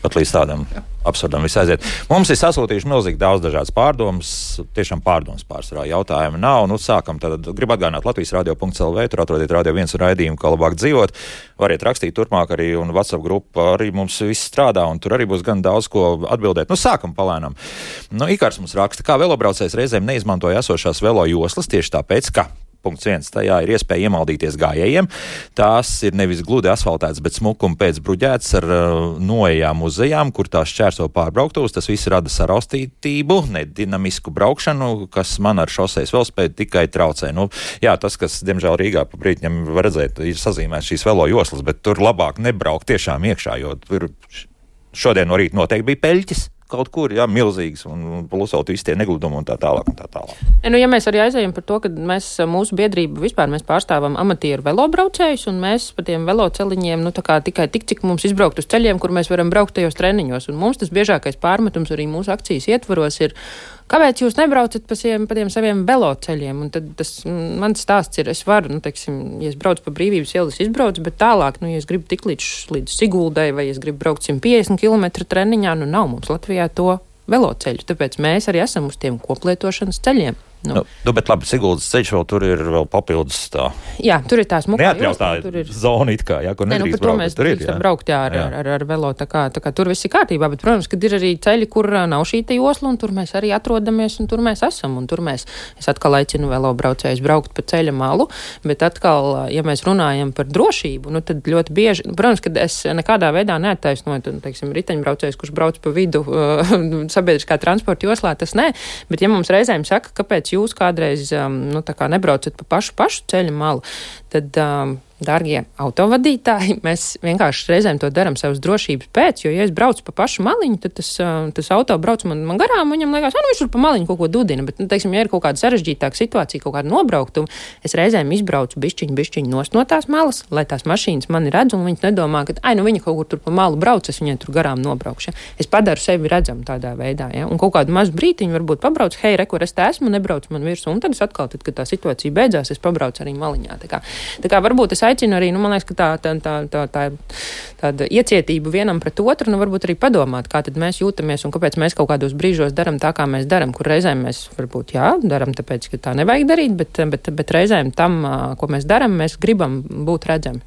Pat līdz tādam absurdam viss aiziet. Mums ir sasūtījuši milzīgi daudz dažādas pārdomas, tiešām pārdomas pārsvarā jautājumi nav. Sākam tad, gribu atgādināt Latvijas radio.lv, tur atrodiet Radio 1 raidījumu, kā labāk dzīvot. Variet rakstīt turpmāk arī, un WhatsApp grupa arī mums viss strādā, un tur arī būs gan daudz ko atbildēt. Sākam palēnām. Ikārs mums raksta, kā velobraucējs reizēm neizmantoja esošās velo joslas tieši tāpēc, ka punkts 1. Tajā ir iespēja iemaldīties gājējiem. Tās ir nevis gludi asfaltētas, bet smukumi pēc bruģētas ar noejām uz ejām, kur tās šķērso pārbrauktos. Tas viss rada saraustītību, nedinamisku braukšanu, kas man ar šoseis velospēdu tikai traucē. Tas, kas, diemžēl, Rīgā pa brītņam var redzēt, ir sazīmēts šīs velo joslas, bet tur labāk nebraukt tiešām iekšā, jo tur šodien no rīta noteikti bija peļķis. Kaut kur, milzīgs, un plusot visi tie negludumi un tā tālāk. Ja mēs arī aizējam par to, ka mūsu biedrība vispār mēs pārstāvam amatieru velobraucējus, un mēs pa tiem veloceliņiem, tikai tik, cik mums izbraukt uz ceļiem, kur mēs varam braukt tajos treniņos. Un mums tas biežākais pārmetums arī mūsu akcijas ietvaros ir, kāpēc jūs nebraucat pa tiem saviem veloceļiem? Un tad tas mans stāsts ir, es varu, ja es braucu pa Brīvības ielu, es izbraucu, bet tālāk, ja es gribu tik līdz Siguldai, vai es gribu braukt 150 km treniņā, nav mums Latvijā to veloceļu. Tāpēc mēs arī esam uz tiem koplietošanas ceļiem. Bet labi, Siguldas ceļš vēl tur ir vēl papildus tā. Jā, tur ir tās mukā neatļautā zona it kā, kur nedrīkst braukt. Mēs drīkstam braukt ar velo, tā kā tur viss ir kārtībā, bet, protams, kad ir arī ceļi, kur nav šī te josla, un tur mēs arī atrodamies, un tur mēs esam, un tur es atkal aicinu velobraucējus braukt pa ceļa malu, bet atkal, ja mēs runājam par drošību, tad ļoti bieži, protams, kad es nekādā veidā neattaisnoju, riteņbraucējs, kurš brauc pa vidu sabiedriskā transporta joslā, tas nē, bet ja mums reizēm saka, kāpēc jūs kādreiz tā kā nebraucat pa pašu ceļu malu, tad, dārgie autovadītāji, mēs vienkārši reizēm to daram savas drošības pēc, jo, ja es braucu pa pašu maliņu, tad tas auto brauc man garām, viņam liekas, viņš tur pa maliņu kaut ko dudina, bet, teiksim, ja ir kaut kāda sarežģītāka situācija, kaut kāda nobraukuma, es reizēm izbraucu bišķiņu nost no tās malas, lai tās mašīnas mani redz, un viņas nedomā, ka, viņa kaut kur tur pa malu brauc, es viņai tur garām nobraukšu. Ja? Es padaru sevi redzamu tādā veidā, ja? Un kaut kādu mazu brītiņu varbūt pabrauc, hei, re, kur es te esmu, nebrauc man virsū, un tad es atkal, kad tā situācija beidzās, es pabraucu arī maliņā. Tā kā varbūt es aicinu arī, man liekas, ka tāda iecietība vienam pret otru, varbūt arī padomāt, kā tad mēs jūtamies un kāpēc mēs kaut kādos brīžos daram tā, kā mēs daram, kur reizēm mēs varbūt, daram tāpēc, ka tā nevajag darīt, bet reizēm tam, ko mēs daram, mēs gribam būt redzami.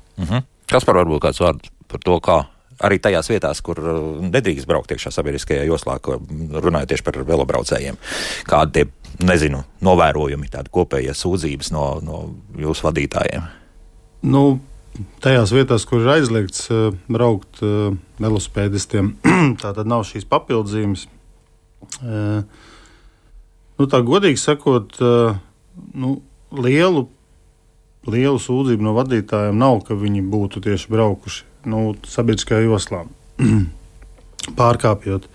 Kaspar, varbūt kāds vārds par to, kā arī tajās vietās, kur nedrīkst braukt iekšā sabiedriskajā joslā, runājot tieši par velobraucējiem, kādi tie, novērojumi, tādi kopējie sūdzības no jūsu vadītājiem? Tajās vietās, kur ir aizliegts braukt velosipēdistiem, tā tad nav šīs papildzīmes. Tā godīgi sakot, lielu sūdzību no vadītājiem nav, ka viņi būtu tieši braukuši sabiedriskajā joslā, pārkāpjot.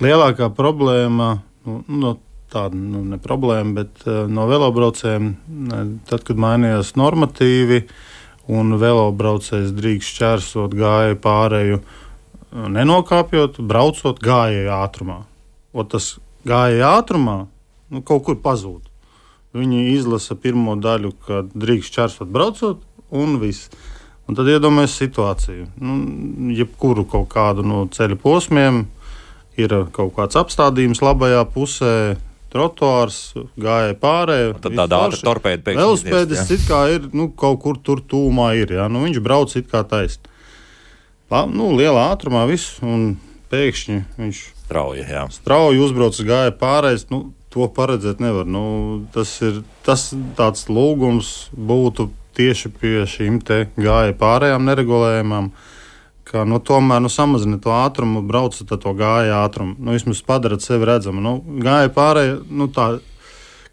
Lielākā problēma, tāda ne problēma, bet no velobraucējiem, tad, kad mainījās normatīvi, un velobraucējs drīkst šķērsot gājēju pārēju, nenokāpjot, braucot gājēju ātrumā. Tas gājēju ātrumā kaut kur pazūd. Viņi izlasa pirmo daļu, kad drīkst šķērsot braucot, un viss. Un tad iedomājas situāciju. Jebkuru kaut kādu no ceļa posmiem ir kaut kāds apstādījums labajā pusē, trotuārs, gāja pārējo. Tad tāda ātra torpēda pēkšņi. Velospēdis it kā ir, kaut kur tur tūmā ir, viņš brauc it kā taisni. Lielā ātrumā viss, un pēkšņi viņš strauji uzbrauc gāja pārējais, to paredzēt nevar. Tas tāds lūgums būtu tieši pie šīm te gāja pārējām neregulējumām, ka tomēr samazina to ātrumu, braucat to gāja ātrumu. Vismaz padarat sevi redzamu. Gāja pārēja, tā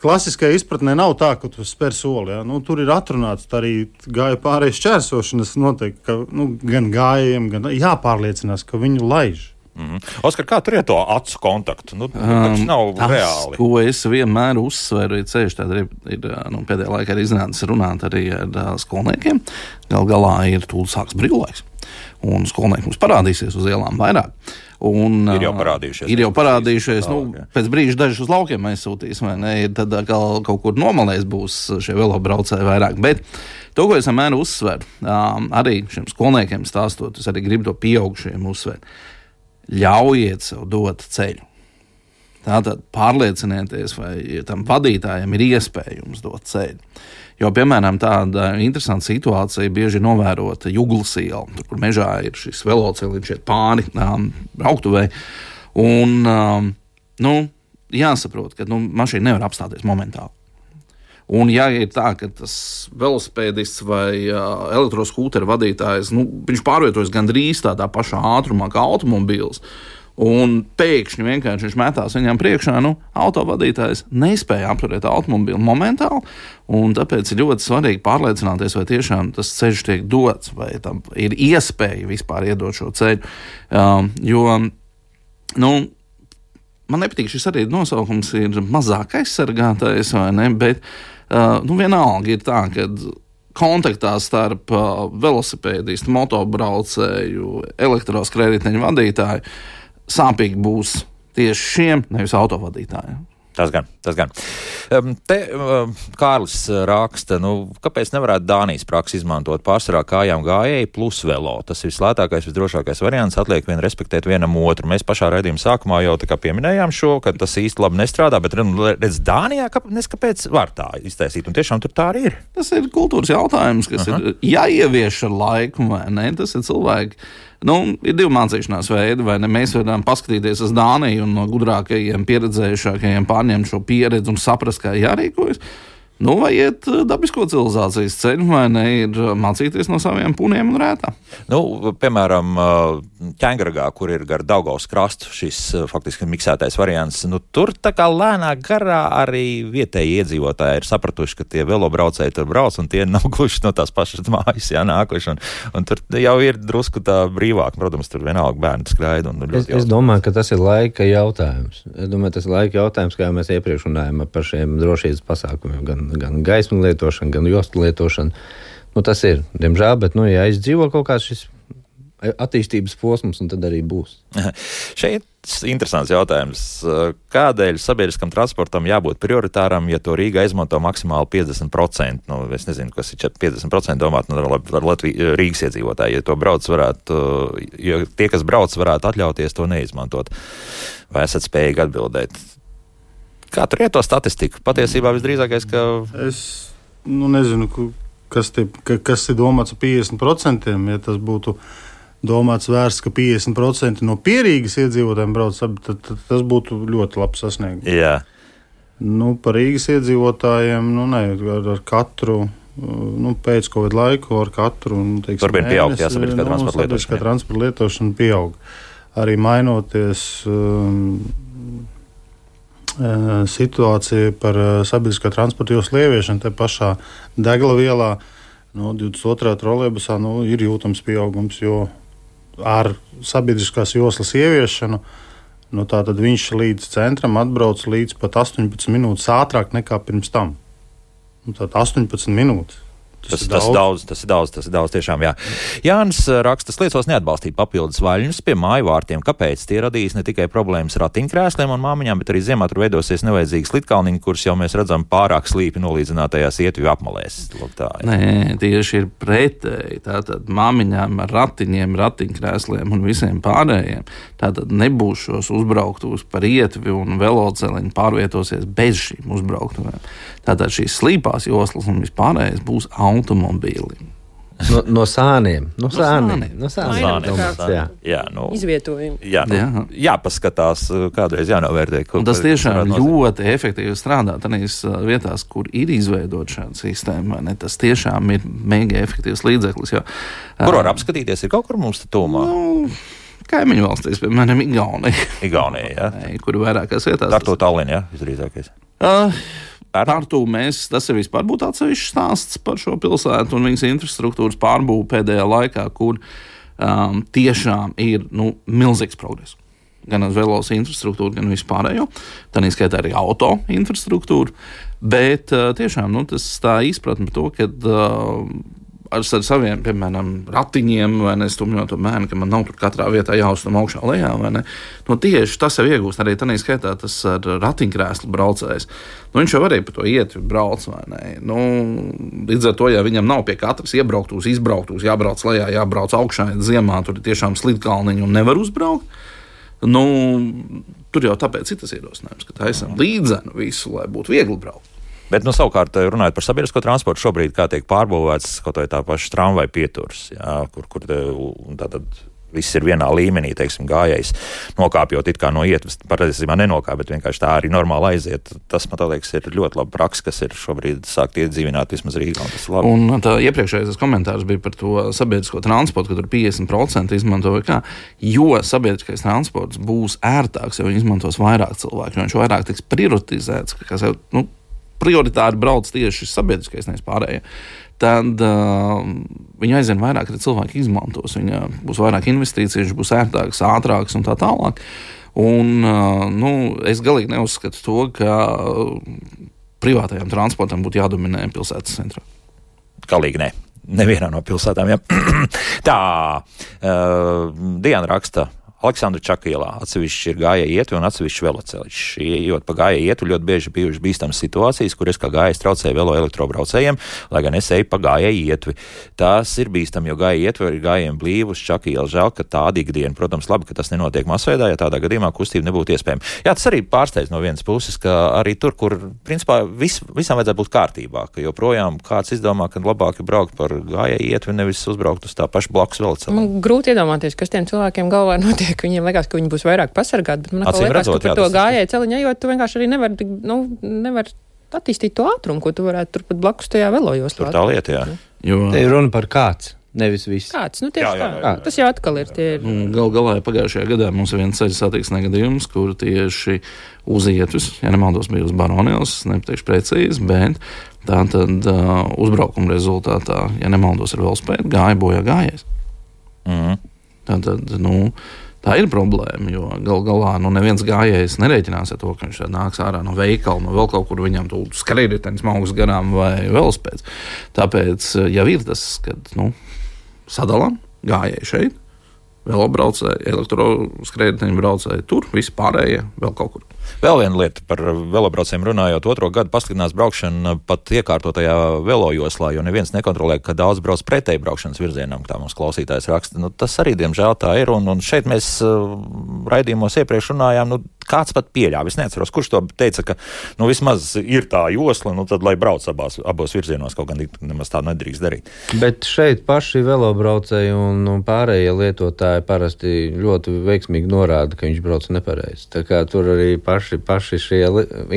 klasiskajā izpratnē nav tā, ka tu spēr soli. Ja? Tur ir atrunāts arī gāja pārējas šķērsošanas noteikti, ka gan gājējiem, gan jāpārliecinās, ka viņu laiž. Oskar, kā tur ir to acu kontaktu? Tas nav reāli. Ko es vienmēr uzsveru, ceļš tāda ir pēdējā laikā arī iznācis runāt arī ar skolniekiem. Galā ir tūlīt sāks brīvlaiks. Un skolnieki mums parādīsies uz ielām vairāk. Ir jau parādījušies. Pēc brīža dažus uz laukiem aizsūtīs, vai ne? Tad kaut kur nomalēs būs šie velobraucēji vairāk. Bet to, ko es vienmēr uzsveru, arī šiem skolniekiem stāstot, es arī gribu to pieaugušajiem uzsvērt. Ļaujiet sev dot ceļu. Tātad pārliecinieties, vai tam vadītājiem ir iespēja jums dot ceļu. Jo, piemēram, tāda interesanta situācija bieži novērota Juglas iela, tur, kur mežā ir šis veloceliņš iet pāri brauktuvei. Un, jāsaprot, ka mašīna nevar apstāties momentāli. Un, ja ir tā, ka tas velosipēdists vai elektroskūtera vadītājs, viņš pārvietojas gandrīz tādā pašā ātrumā kā automobīls, un pēkšņi vienkārši viņš metās viņam priekšā, autovadītājs nespēja apturēt automobīlu momentāli, un tāpēc ir ļoti svarīgi pārliecināties, vai tiešām tas ceļš tiek dots, vai tam ir iespēja vispār iedot šo ceļu. Man nepatīk šis arī nosaukums ir mazāk aizsargātais, vai ne, bet vienalga ir tā, ka kontaktā starp velosipēdistu, motobraucēju, elektroskrējēju vadītāju sāpīgi būs tieši šiem, nevis autovadītājiem. Tas gan. Te Kārlis raksta, kāpēc nevarētu Dānijas praksi izmantot pārsvarā kājām gājēji plus velo? Tas ir vislētākais, visdrošākais variants, atliek respektēt vienam otru. Mēs pašā raidījuma sākumā jau tā kā pieminējām šo, ka tas īsti labi nestrādā, bet redz Dānijā, kāpēc var tā iztaisīt, un tiešām tur tā arī ir. Tas ir kultūras jautājums, kas ir jāievieš ar laiku, vai ne? Tas ir cilvēki. Ir divi mācīšanās veidi, vai ne? Mēs varam paskatīties uz Dāniju un no gudrākajiem, pieredzējušākajiem pārņemt šo pieredzi un saprast, kā jārīkojas. Nu, vai iet dabisko civilizācijas ceļu, vai ne, ir mācīties no saviem puniem un rētām. Nu, piemēram, Ķēngargā, kur ir gar Daugavas krastu šis faktiski miksētais variants, nu, tur tā kā lēnā garā arī vietēji iedzīvotāji ir sapratuši, ka tie velobraucēji tur brauc, un tie nav gluži no tās pašas mājas, nākuši, un tur jau ir drusku tā brīvāk. Protams, tur vienalga bērni skraida. Es domāju, ka tas ir laika jautājums. Kā mēs iepriekš runājām par šiem drošības pasākumiem, gan gaismu lietošanu, gan jostu lietošanu. Nu, tas ir, diemžēl, bet, ja aizdzīvo kaut kāds šis attīstības posms, un tad arī būs. Šeit interesants jautājums. Kādēļ sabiedriskam transportam jābūt prioritāram, ja to Rīga izmanto maksimāli 50%? Nu, es nezinu, kas ir 50% domāt, var Rīgas iedzīvotāji, ja to brauc varētu, jo tie, kas brauc, varētu atļauties to neizmantot. Vai esat spējīgi atbildēt? Kā tur ir to statistiku? Patiesībā visdrīzākais, ka... Es nezinu, kas ir domāts ar 50%. Ja tas būtu domāts vērsts, ka 50% no Pierīgas iedzīvotājiem brauc, tad tas būtu ļoti labs sasniegums. Jā. Par Rīgas iedzīvotājiem, ar katru, pēc Covid laiku, ar katru, turpina pieaugt, sabiedriskā transporta lietošana pieaug. Arī mainoties... situācija par sabiedriskā transporta joslu ieviešanu te pašā deglavielā 22. trolejbusā ir jūtams pieaugums, jo ar sabiedriskās joslas ieviešanu tātad viņš līdz centram atbrauc līdz pat 18 minūtes ātrāk nekā pirms tam. Tātad 18 minūtes. Tas ir daudz tiešām, jā. Jānis raksta, liecos neatbalstīt papildus vaļņus pie māju vārtiem. Kāpēc? Tie radīs ne tikai problēmas ratiņkrēsliem un māmiņām, bet arī ziemā tur veidosies nevajadzīgas litkalniņi, kurus jau mēs redzam pārāk slīpi nolīdzinātajās ietuvju apmalēs. Nē, tieši ir pretēji. Tātad māmiņām ar ratiņiem, ratiņkrēsliem un visiem pārējiem. Tātad nebūs šos uzbrauktos par ietvi un veloceliņu pārvietosies bez šīm uzbrauktuvēm. Tātad šīs slīpās joslas un vispārējais būs automobīli. No sāniem. Izvietojumi. Jāpaskatās, kādreiz jānovērtē. Tas tiešām ļoti efektīvi strādā tādās vietās, kur ir izveidot šāda sistēma. Tas tiešām ir mega efektīvs līdzeklis. Kur var apskatīties? Ir kaut kur mums tuvumā? Kaimiņu valstīs, piemēram, Igaunija, jā. Kur vairākās vietās. Tartu Tallinnā, visdrīzākais. Tartu tas ir vispār būtu atsevišķs stāsts par šo pilsētu un viņas infrastruktūras pārbūvi pēdējā laikā, kur tiešām ir milzīgs progress. Gan uz velos infrastruktūru, gan vispārējo. Tā neskaitā arī auto infrastruktūru. Bet tiešām tas tā izpratne par to, ka ar saviem, piemēram, ratiņiem, vai ne, stumjot to bērnu, ka man nav tur katrā vietā jāuzstum augšā lejā, vai ne. Tieši tas jau iegūst, arī tā neskaitā tas ar ratiņkrēslu braucējs. Viņš jau arī pa to ietvi brauc, vai ne. Līdz ar to, ja viņam nav pie katras iebrauktūs, izbrauktūs, jābrauc lejā, jābrauc augšā, ziemā, tur ir tiešām slidkalniņi un nevar uzbraukt. Tur jau tāpēc ir tas ierosinājums, ka taisam līdzenu visu, lai būtu viegli braukt. Bet, savukārt, runājot par sabiedrisko transportu, šobrīd kā tiek pārbūvēts kaut vai tā paša tramvaja pieturs, kur tātad viss ir vienā līmenī, teiksim, gājējs nokāpjot it kā no ietves, patiesībā nenokāp, bet vienkārši tā arī normāli aiziet. Tas, man liekas, ir ļoti laba praksa, kas ir šobrīd sākt iedzīvināt vismaz Rīgā. Un tā iepriekšējais komentārs bija par to sabiedrisko transportu, ka tur 50% izmanto vai kā, jo sabiedriskais transports būs ērtāks, ja viņi izmantos vairāk cilvēku, jo viņš vairāk tiks prioritizēts, kas jau, prioritāri brauc tieši sabiedriskais, nevis pārējie, tad viņi aizvien vairāk arī cilvēki izmantos. Viņa būs vairāk investīcijas, būs ērtāks, ātrāks un tā tālāk. Un, es galīgi neuzskatu to, ka privātajam transportam būtu jādominē pilsētas centrā. Galīgi ne. Nevienā no pilsētām, jā. Tā, Diana raksta. Aleksandra Čakielā atsevišķi ir gājēji ietvi un atsevišķi veloceļš. Ejot pa gājēju ietvi, ļoti bieži bijušas bīstamas situācijas, kur es kā gājējs traucēju velo elektrobraucējiem, lai gan es eju pa gājēju ietvi. Tas ir bīstami, jo gājēju ietvi ir gājējiem blīvus. Čakiela žēl, ka tāda ikdiena, protams, labi, ka tas nenotiek masveidā, ja tādā gadījumā kustība nebūtu iespējama. Jā, tas arī pārsteidz no vienas puses, ka arī tur, kur principā visam vajadzētu būt kārtībā, ka joprojām kāds izdomā, ka labāk ir braukt par gājēju ietvi, nevis uzbraukt uz tā paša blakus veloceļa. Man grūti iedomāties, kas tiem cilvēkiem galvā notiek. Viņiem liekas, ka viņi būs vairāk pasargāti, bet man liekas, ka par to gājēju celiņu ejot, tu vienkārši arī nevar attīstīt to ātrumu, ko tu varētu turpat blakus tajā velojoslā. Tur tā lieta, jā. Jo Te ir runa par kāds, nevis viss. Kāds, nu tieši Jā. tā. Tas jau atkal ir tie. galā pagājušajā gadā mums ir viens ceļu satiksmes negadījums, kur tieši uz ietves, ja nemaldos, bija uz Baronielas, nepateikšu precīzi, bet tā tad uzbraukuma rezultātā, ja nemaldos, ar velospēdu gāja bojā gājējs. Tātad, tā ir problēma, jo galā neviens gājējs nerēķinās ar to, ka viņš nāks ārā no veikala, no vēl kaut kur viņam tu skrējritenis maugs garām vai velospēds. Tāpēc jau ir tas, kad sadalām gājēji šeit, velobraucēji, elektroskrējriteņu braucēji tur, visi pārējie vēl kaut kur. Vēl viena lieta par velobraucējiem runājot, 2. gadu paskatās braukšana pat iekārtotajā velojoslā, jo neviens nekontrolē, ka daudz brauc pretēji braukšanas virzienam, tā mums klausītājs raksta. Tas arī, diemžēl, tā ir, un šeit mēs raidījumos iepriekš runājām, kāds pat pieļāva. Es neatceros, kurš to teica, ka vismaz ir tā josla, tad lai brauc abos virzienos, kaut gan nemaz tā nedrīkst darīt. Bet šeit paši velobraucēji un pārējie lietotāji parasti ļoti veiksmīgi norāda, ka viņš brauc nepareizi. Tā kā tur arī paši šie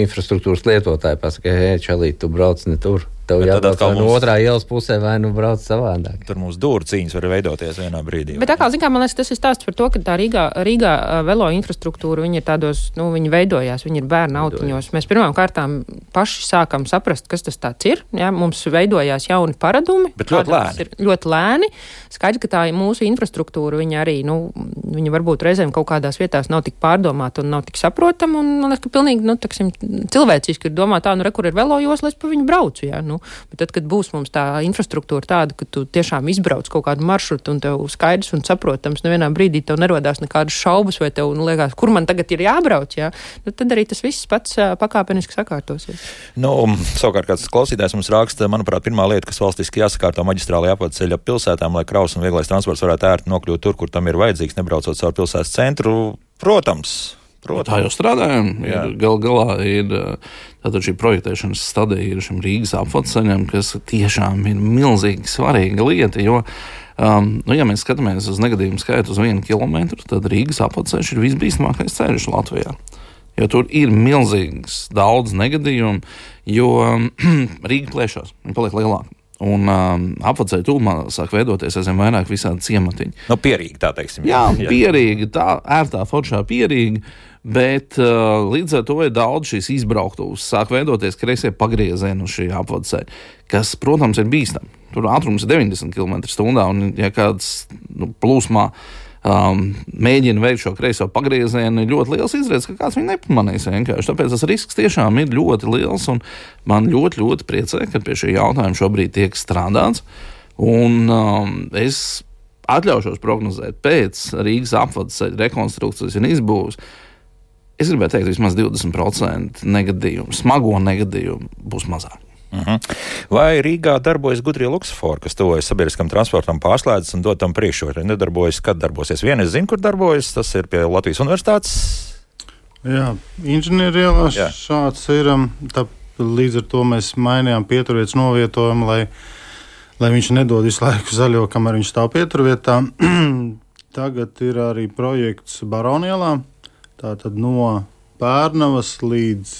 infrastruktūras lietotāji pasaka, hei, čalīt, tu brauc ne tur. Tev jābrauc no otrā ielas pusē vai brauc savādāk. Tur mums dūru cīņas var veidoties vienā brīdī. Bet atkal, man liekas, tas ir stāsts par to, ka tā Rīgā velo infrastruktūra, viņi ir tādos, viņi veidojās, viņi ir bērnu autiņos. Mēs pirmām kārtām paši sākam saprast, kas tas tāds ir. Ja? Mums veidojās jauni paradumi. Bet ļoti lēni. Ļoti lēni. Skaidrs, ka tā mūsu infrastruktūra, viņa arī, viņa varbūt reizēm kaut kādās vietās nav tik pārdomāta un nav tik saprotama. Un man liekas, ka pilnīgi, cilvēciski ir domāt tā, kur ir velojosla, es pa viņu braucu, jā, Bet tad, kad būs mums tā infrastruktūra tāda, ka tu tiešām izbrauc kaut kādu maršrutu un tev skaidrs un saprotams, nevienā brīdī tev nerodās nekādas šaubas vai tev liekas, kur man tagad ir jābrauc, jā, tad arī tas viss pats pakāpeniski sakārtosies. Savukārt kāds klausītājs mums raksta, manuprāt, pirmā lieta, kas valstiski jāsakārto maģistrālajā apvadceļa pilsētām, lai kraus un vieglais transports varētu ērti nokļūt tur, kur tam ir vajadzīgs, nebraucot caur pilsētas centru. Protams. Tā jau strādājam. Galā ir tātad šī projektēšanas stadija ir šim Rīgas apvadceļam, kas tiešām ir milzīgi svarīga lieta, jo, ja mēs skatāmies uz negadījumu skaitu uz 1 kilometru, tad Rīgas apvadceļš ir visbīstamākais ceļš Latvijā. Jo tur ir milzīgs daudz negadījumu, jo Rīga plēšās, viņa paliek lielāka. Un apvadceļa tūmā sāk veidoties aizvien vairāk visādi ciematiņi. Pierīgi, tā teiksim. Jā, pierīgi, tā ērtā foršā pierīgi, bet līdz ar to ir daudz šīs izbrauktuvas. Sāk veidoties kreisie pagriezieni uz šī apvadceļa, kas, protams, ir bīstami. Tur ātrums ir 90 km/h, un ja kāds plūsmā mēģina veikt šo kreiso pagriezienu, ir ļoti liels izredzes, ka kāds viņu nepamanīs vienkārši. Tāpēc tas risks tiešām ir ļoti liels, un man ļoti, ļoti priecē, ka pie šī jautājuma šobrīd tiek strādāts. Un es atļaušos prognozēt pēc Rīgas apvadceļa rekonstrukcijas un izbūves. Es gribētu teikt, vismaz 20% negadījumu, smago negadījumu būs mazāk. Vai Rīgā darbojas gudrie luksofori, kas tuvojas sabiedriskam transportam, pārslēdzas un dod tam priekšroku? Nedarbojas, kad darbosies? Viena es zinu, kur darbojas, tas ir pie Latvijas Universitātes. Jā, inženierielā šāds ir. Līdz ar to mēs mainījām pieturvietas novietojumu, lai viņš nedod visu laiku zaļo, kamēr viņš stāv pieturvietā. Tagad ir arī projekts Baronielā, tātad no Pērnavas līdz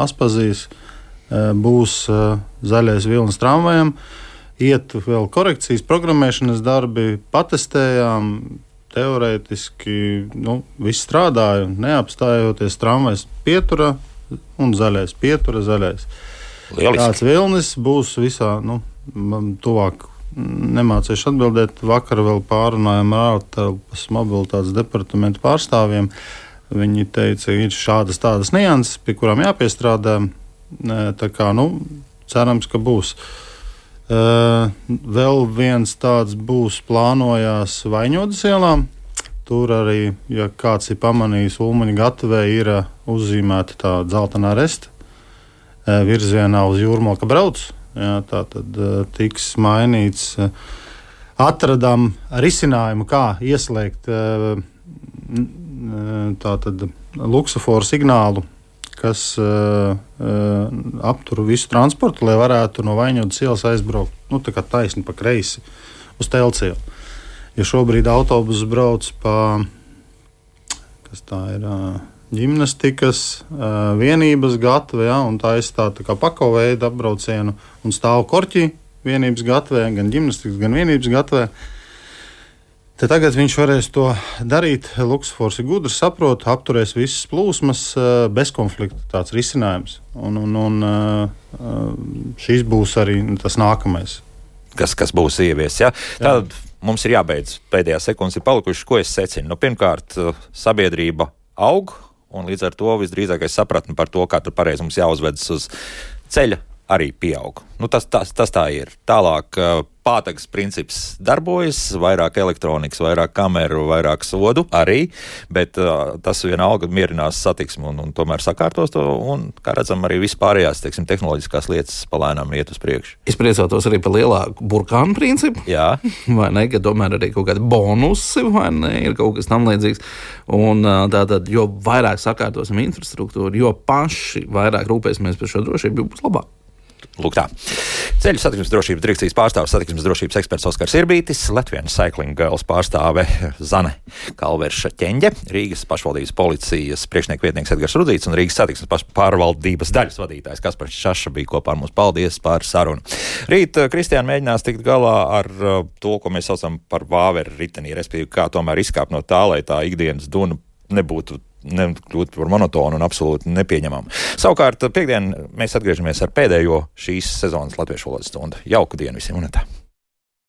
Aspazijas būs zaļais vilnis tramvajam. Iet vēl korekcijas, programmēšanas darbi, patestējām, teorētiski viss strādāja, neapstājoties tramvajs pietura un zaļais, pietura zaļais. Lieliski. Tāds vilnis būs visā, tuvāk nemācīšu atbildēt. Vakar vēl pārunājām ar ārtelpas mobilitātes departamentu pārstāvjiem. Viņi teica, ir šādas tādas nianses, pie kurām jāpiestrādā. Tā kā, cerams, ka būs. Vēl viens tāds būs plānojās Vaņodas ielā. Tur arī, ja kāds ir pamanījis, Ulmaņa gatavē ir uzzīmēta tā dzeltenā resta virzienā uz Jūrmalka brauc. Jā, tā tad tiks mainīts. Atradām risinājumu, kā ieslēgt tātad luksuforu signālu, kas aptur visu transportu, lai varētu no Vaņodas ielas aizbraukt, tā kā taisni pa kreisi uz Telcielu. Ja šobrīd autobuss brauc pa, kas tā ir, ģimnastikas vienības gatve, ja, un tā ir tā kā pakoveida apbraucienu, un stāv korķi vienības gatvē, gan ģimnastikas, gan vienības gatvē. Te tagad viņš varēs to darīt. Luksfors ir gudrs, saprot, apturēs visas plūsmas bez konflikta. Tāds risinājums. Un šis būs arī tas nākamais. Kas būs ievies, ja? Tad mums ir jābeidz. Pēdējās sekundes ir palikušas, ko es secinu. Nu, pirmkārt, sabiedrība aug, un līdz ar to visdrīzākais sapratni par to, kā tur pareizi mums jāuzvedas uz ceļa, arī pieaug. Nu, tas tā ir. Tālāk pātagas princips darbojas, vairāk elektronikas, vairāk kameru, vairāk sodu arī, bet tas vienalga mierinās satiksmu un tomēr sakārtos to, un, kā redzam, arī vispārējās, teiksim, tehnoloģiskās lietas palēnām iet uz priekšu. Es priecātos arī par lielāku burkānu principu. Jā. Vai ne, ka tomēr arī kaut kādi bonusi, vai ne, ir kaut kas tam līdzīgs. Un tātad, jo vairāk sakārtosim infrastruktūru, jo paši vairāk rūpēsimies par šo drošību, jo būs labāk. Lūk tā. Ceļu satiksmes drošības direkcijas pārstāvis, satiksmes drošības eksperts Oskars Irbītis, Latvijas Cycling Girls pārstāve Zane Kalverša-Ķeņģe, Rīgas pašvaldības policijas priekšnieku vietnieks Edgars Rudzīts un Rīgas satiksmes pārvaldības daļas vadītājs Kaspars Šaša bija kopā ar mums. Paldies par sarunu. Rīt Kristiāna mēģinās tikt galā ar to, ko mēs saucam par vāveru ritenī, respektīvi kā tomēr izkāpt no tā, lai tā ikdienas duna nekļūt par monotonu un absolūti nepieņemamu. Savukārt, piekdien mēs atgriežamies ar pēdējo šīs sezonas latviešu valodas stundu. Jauku dienu visiem un tā!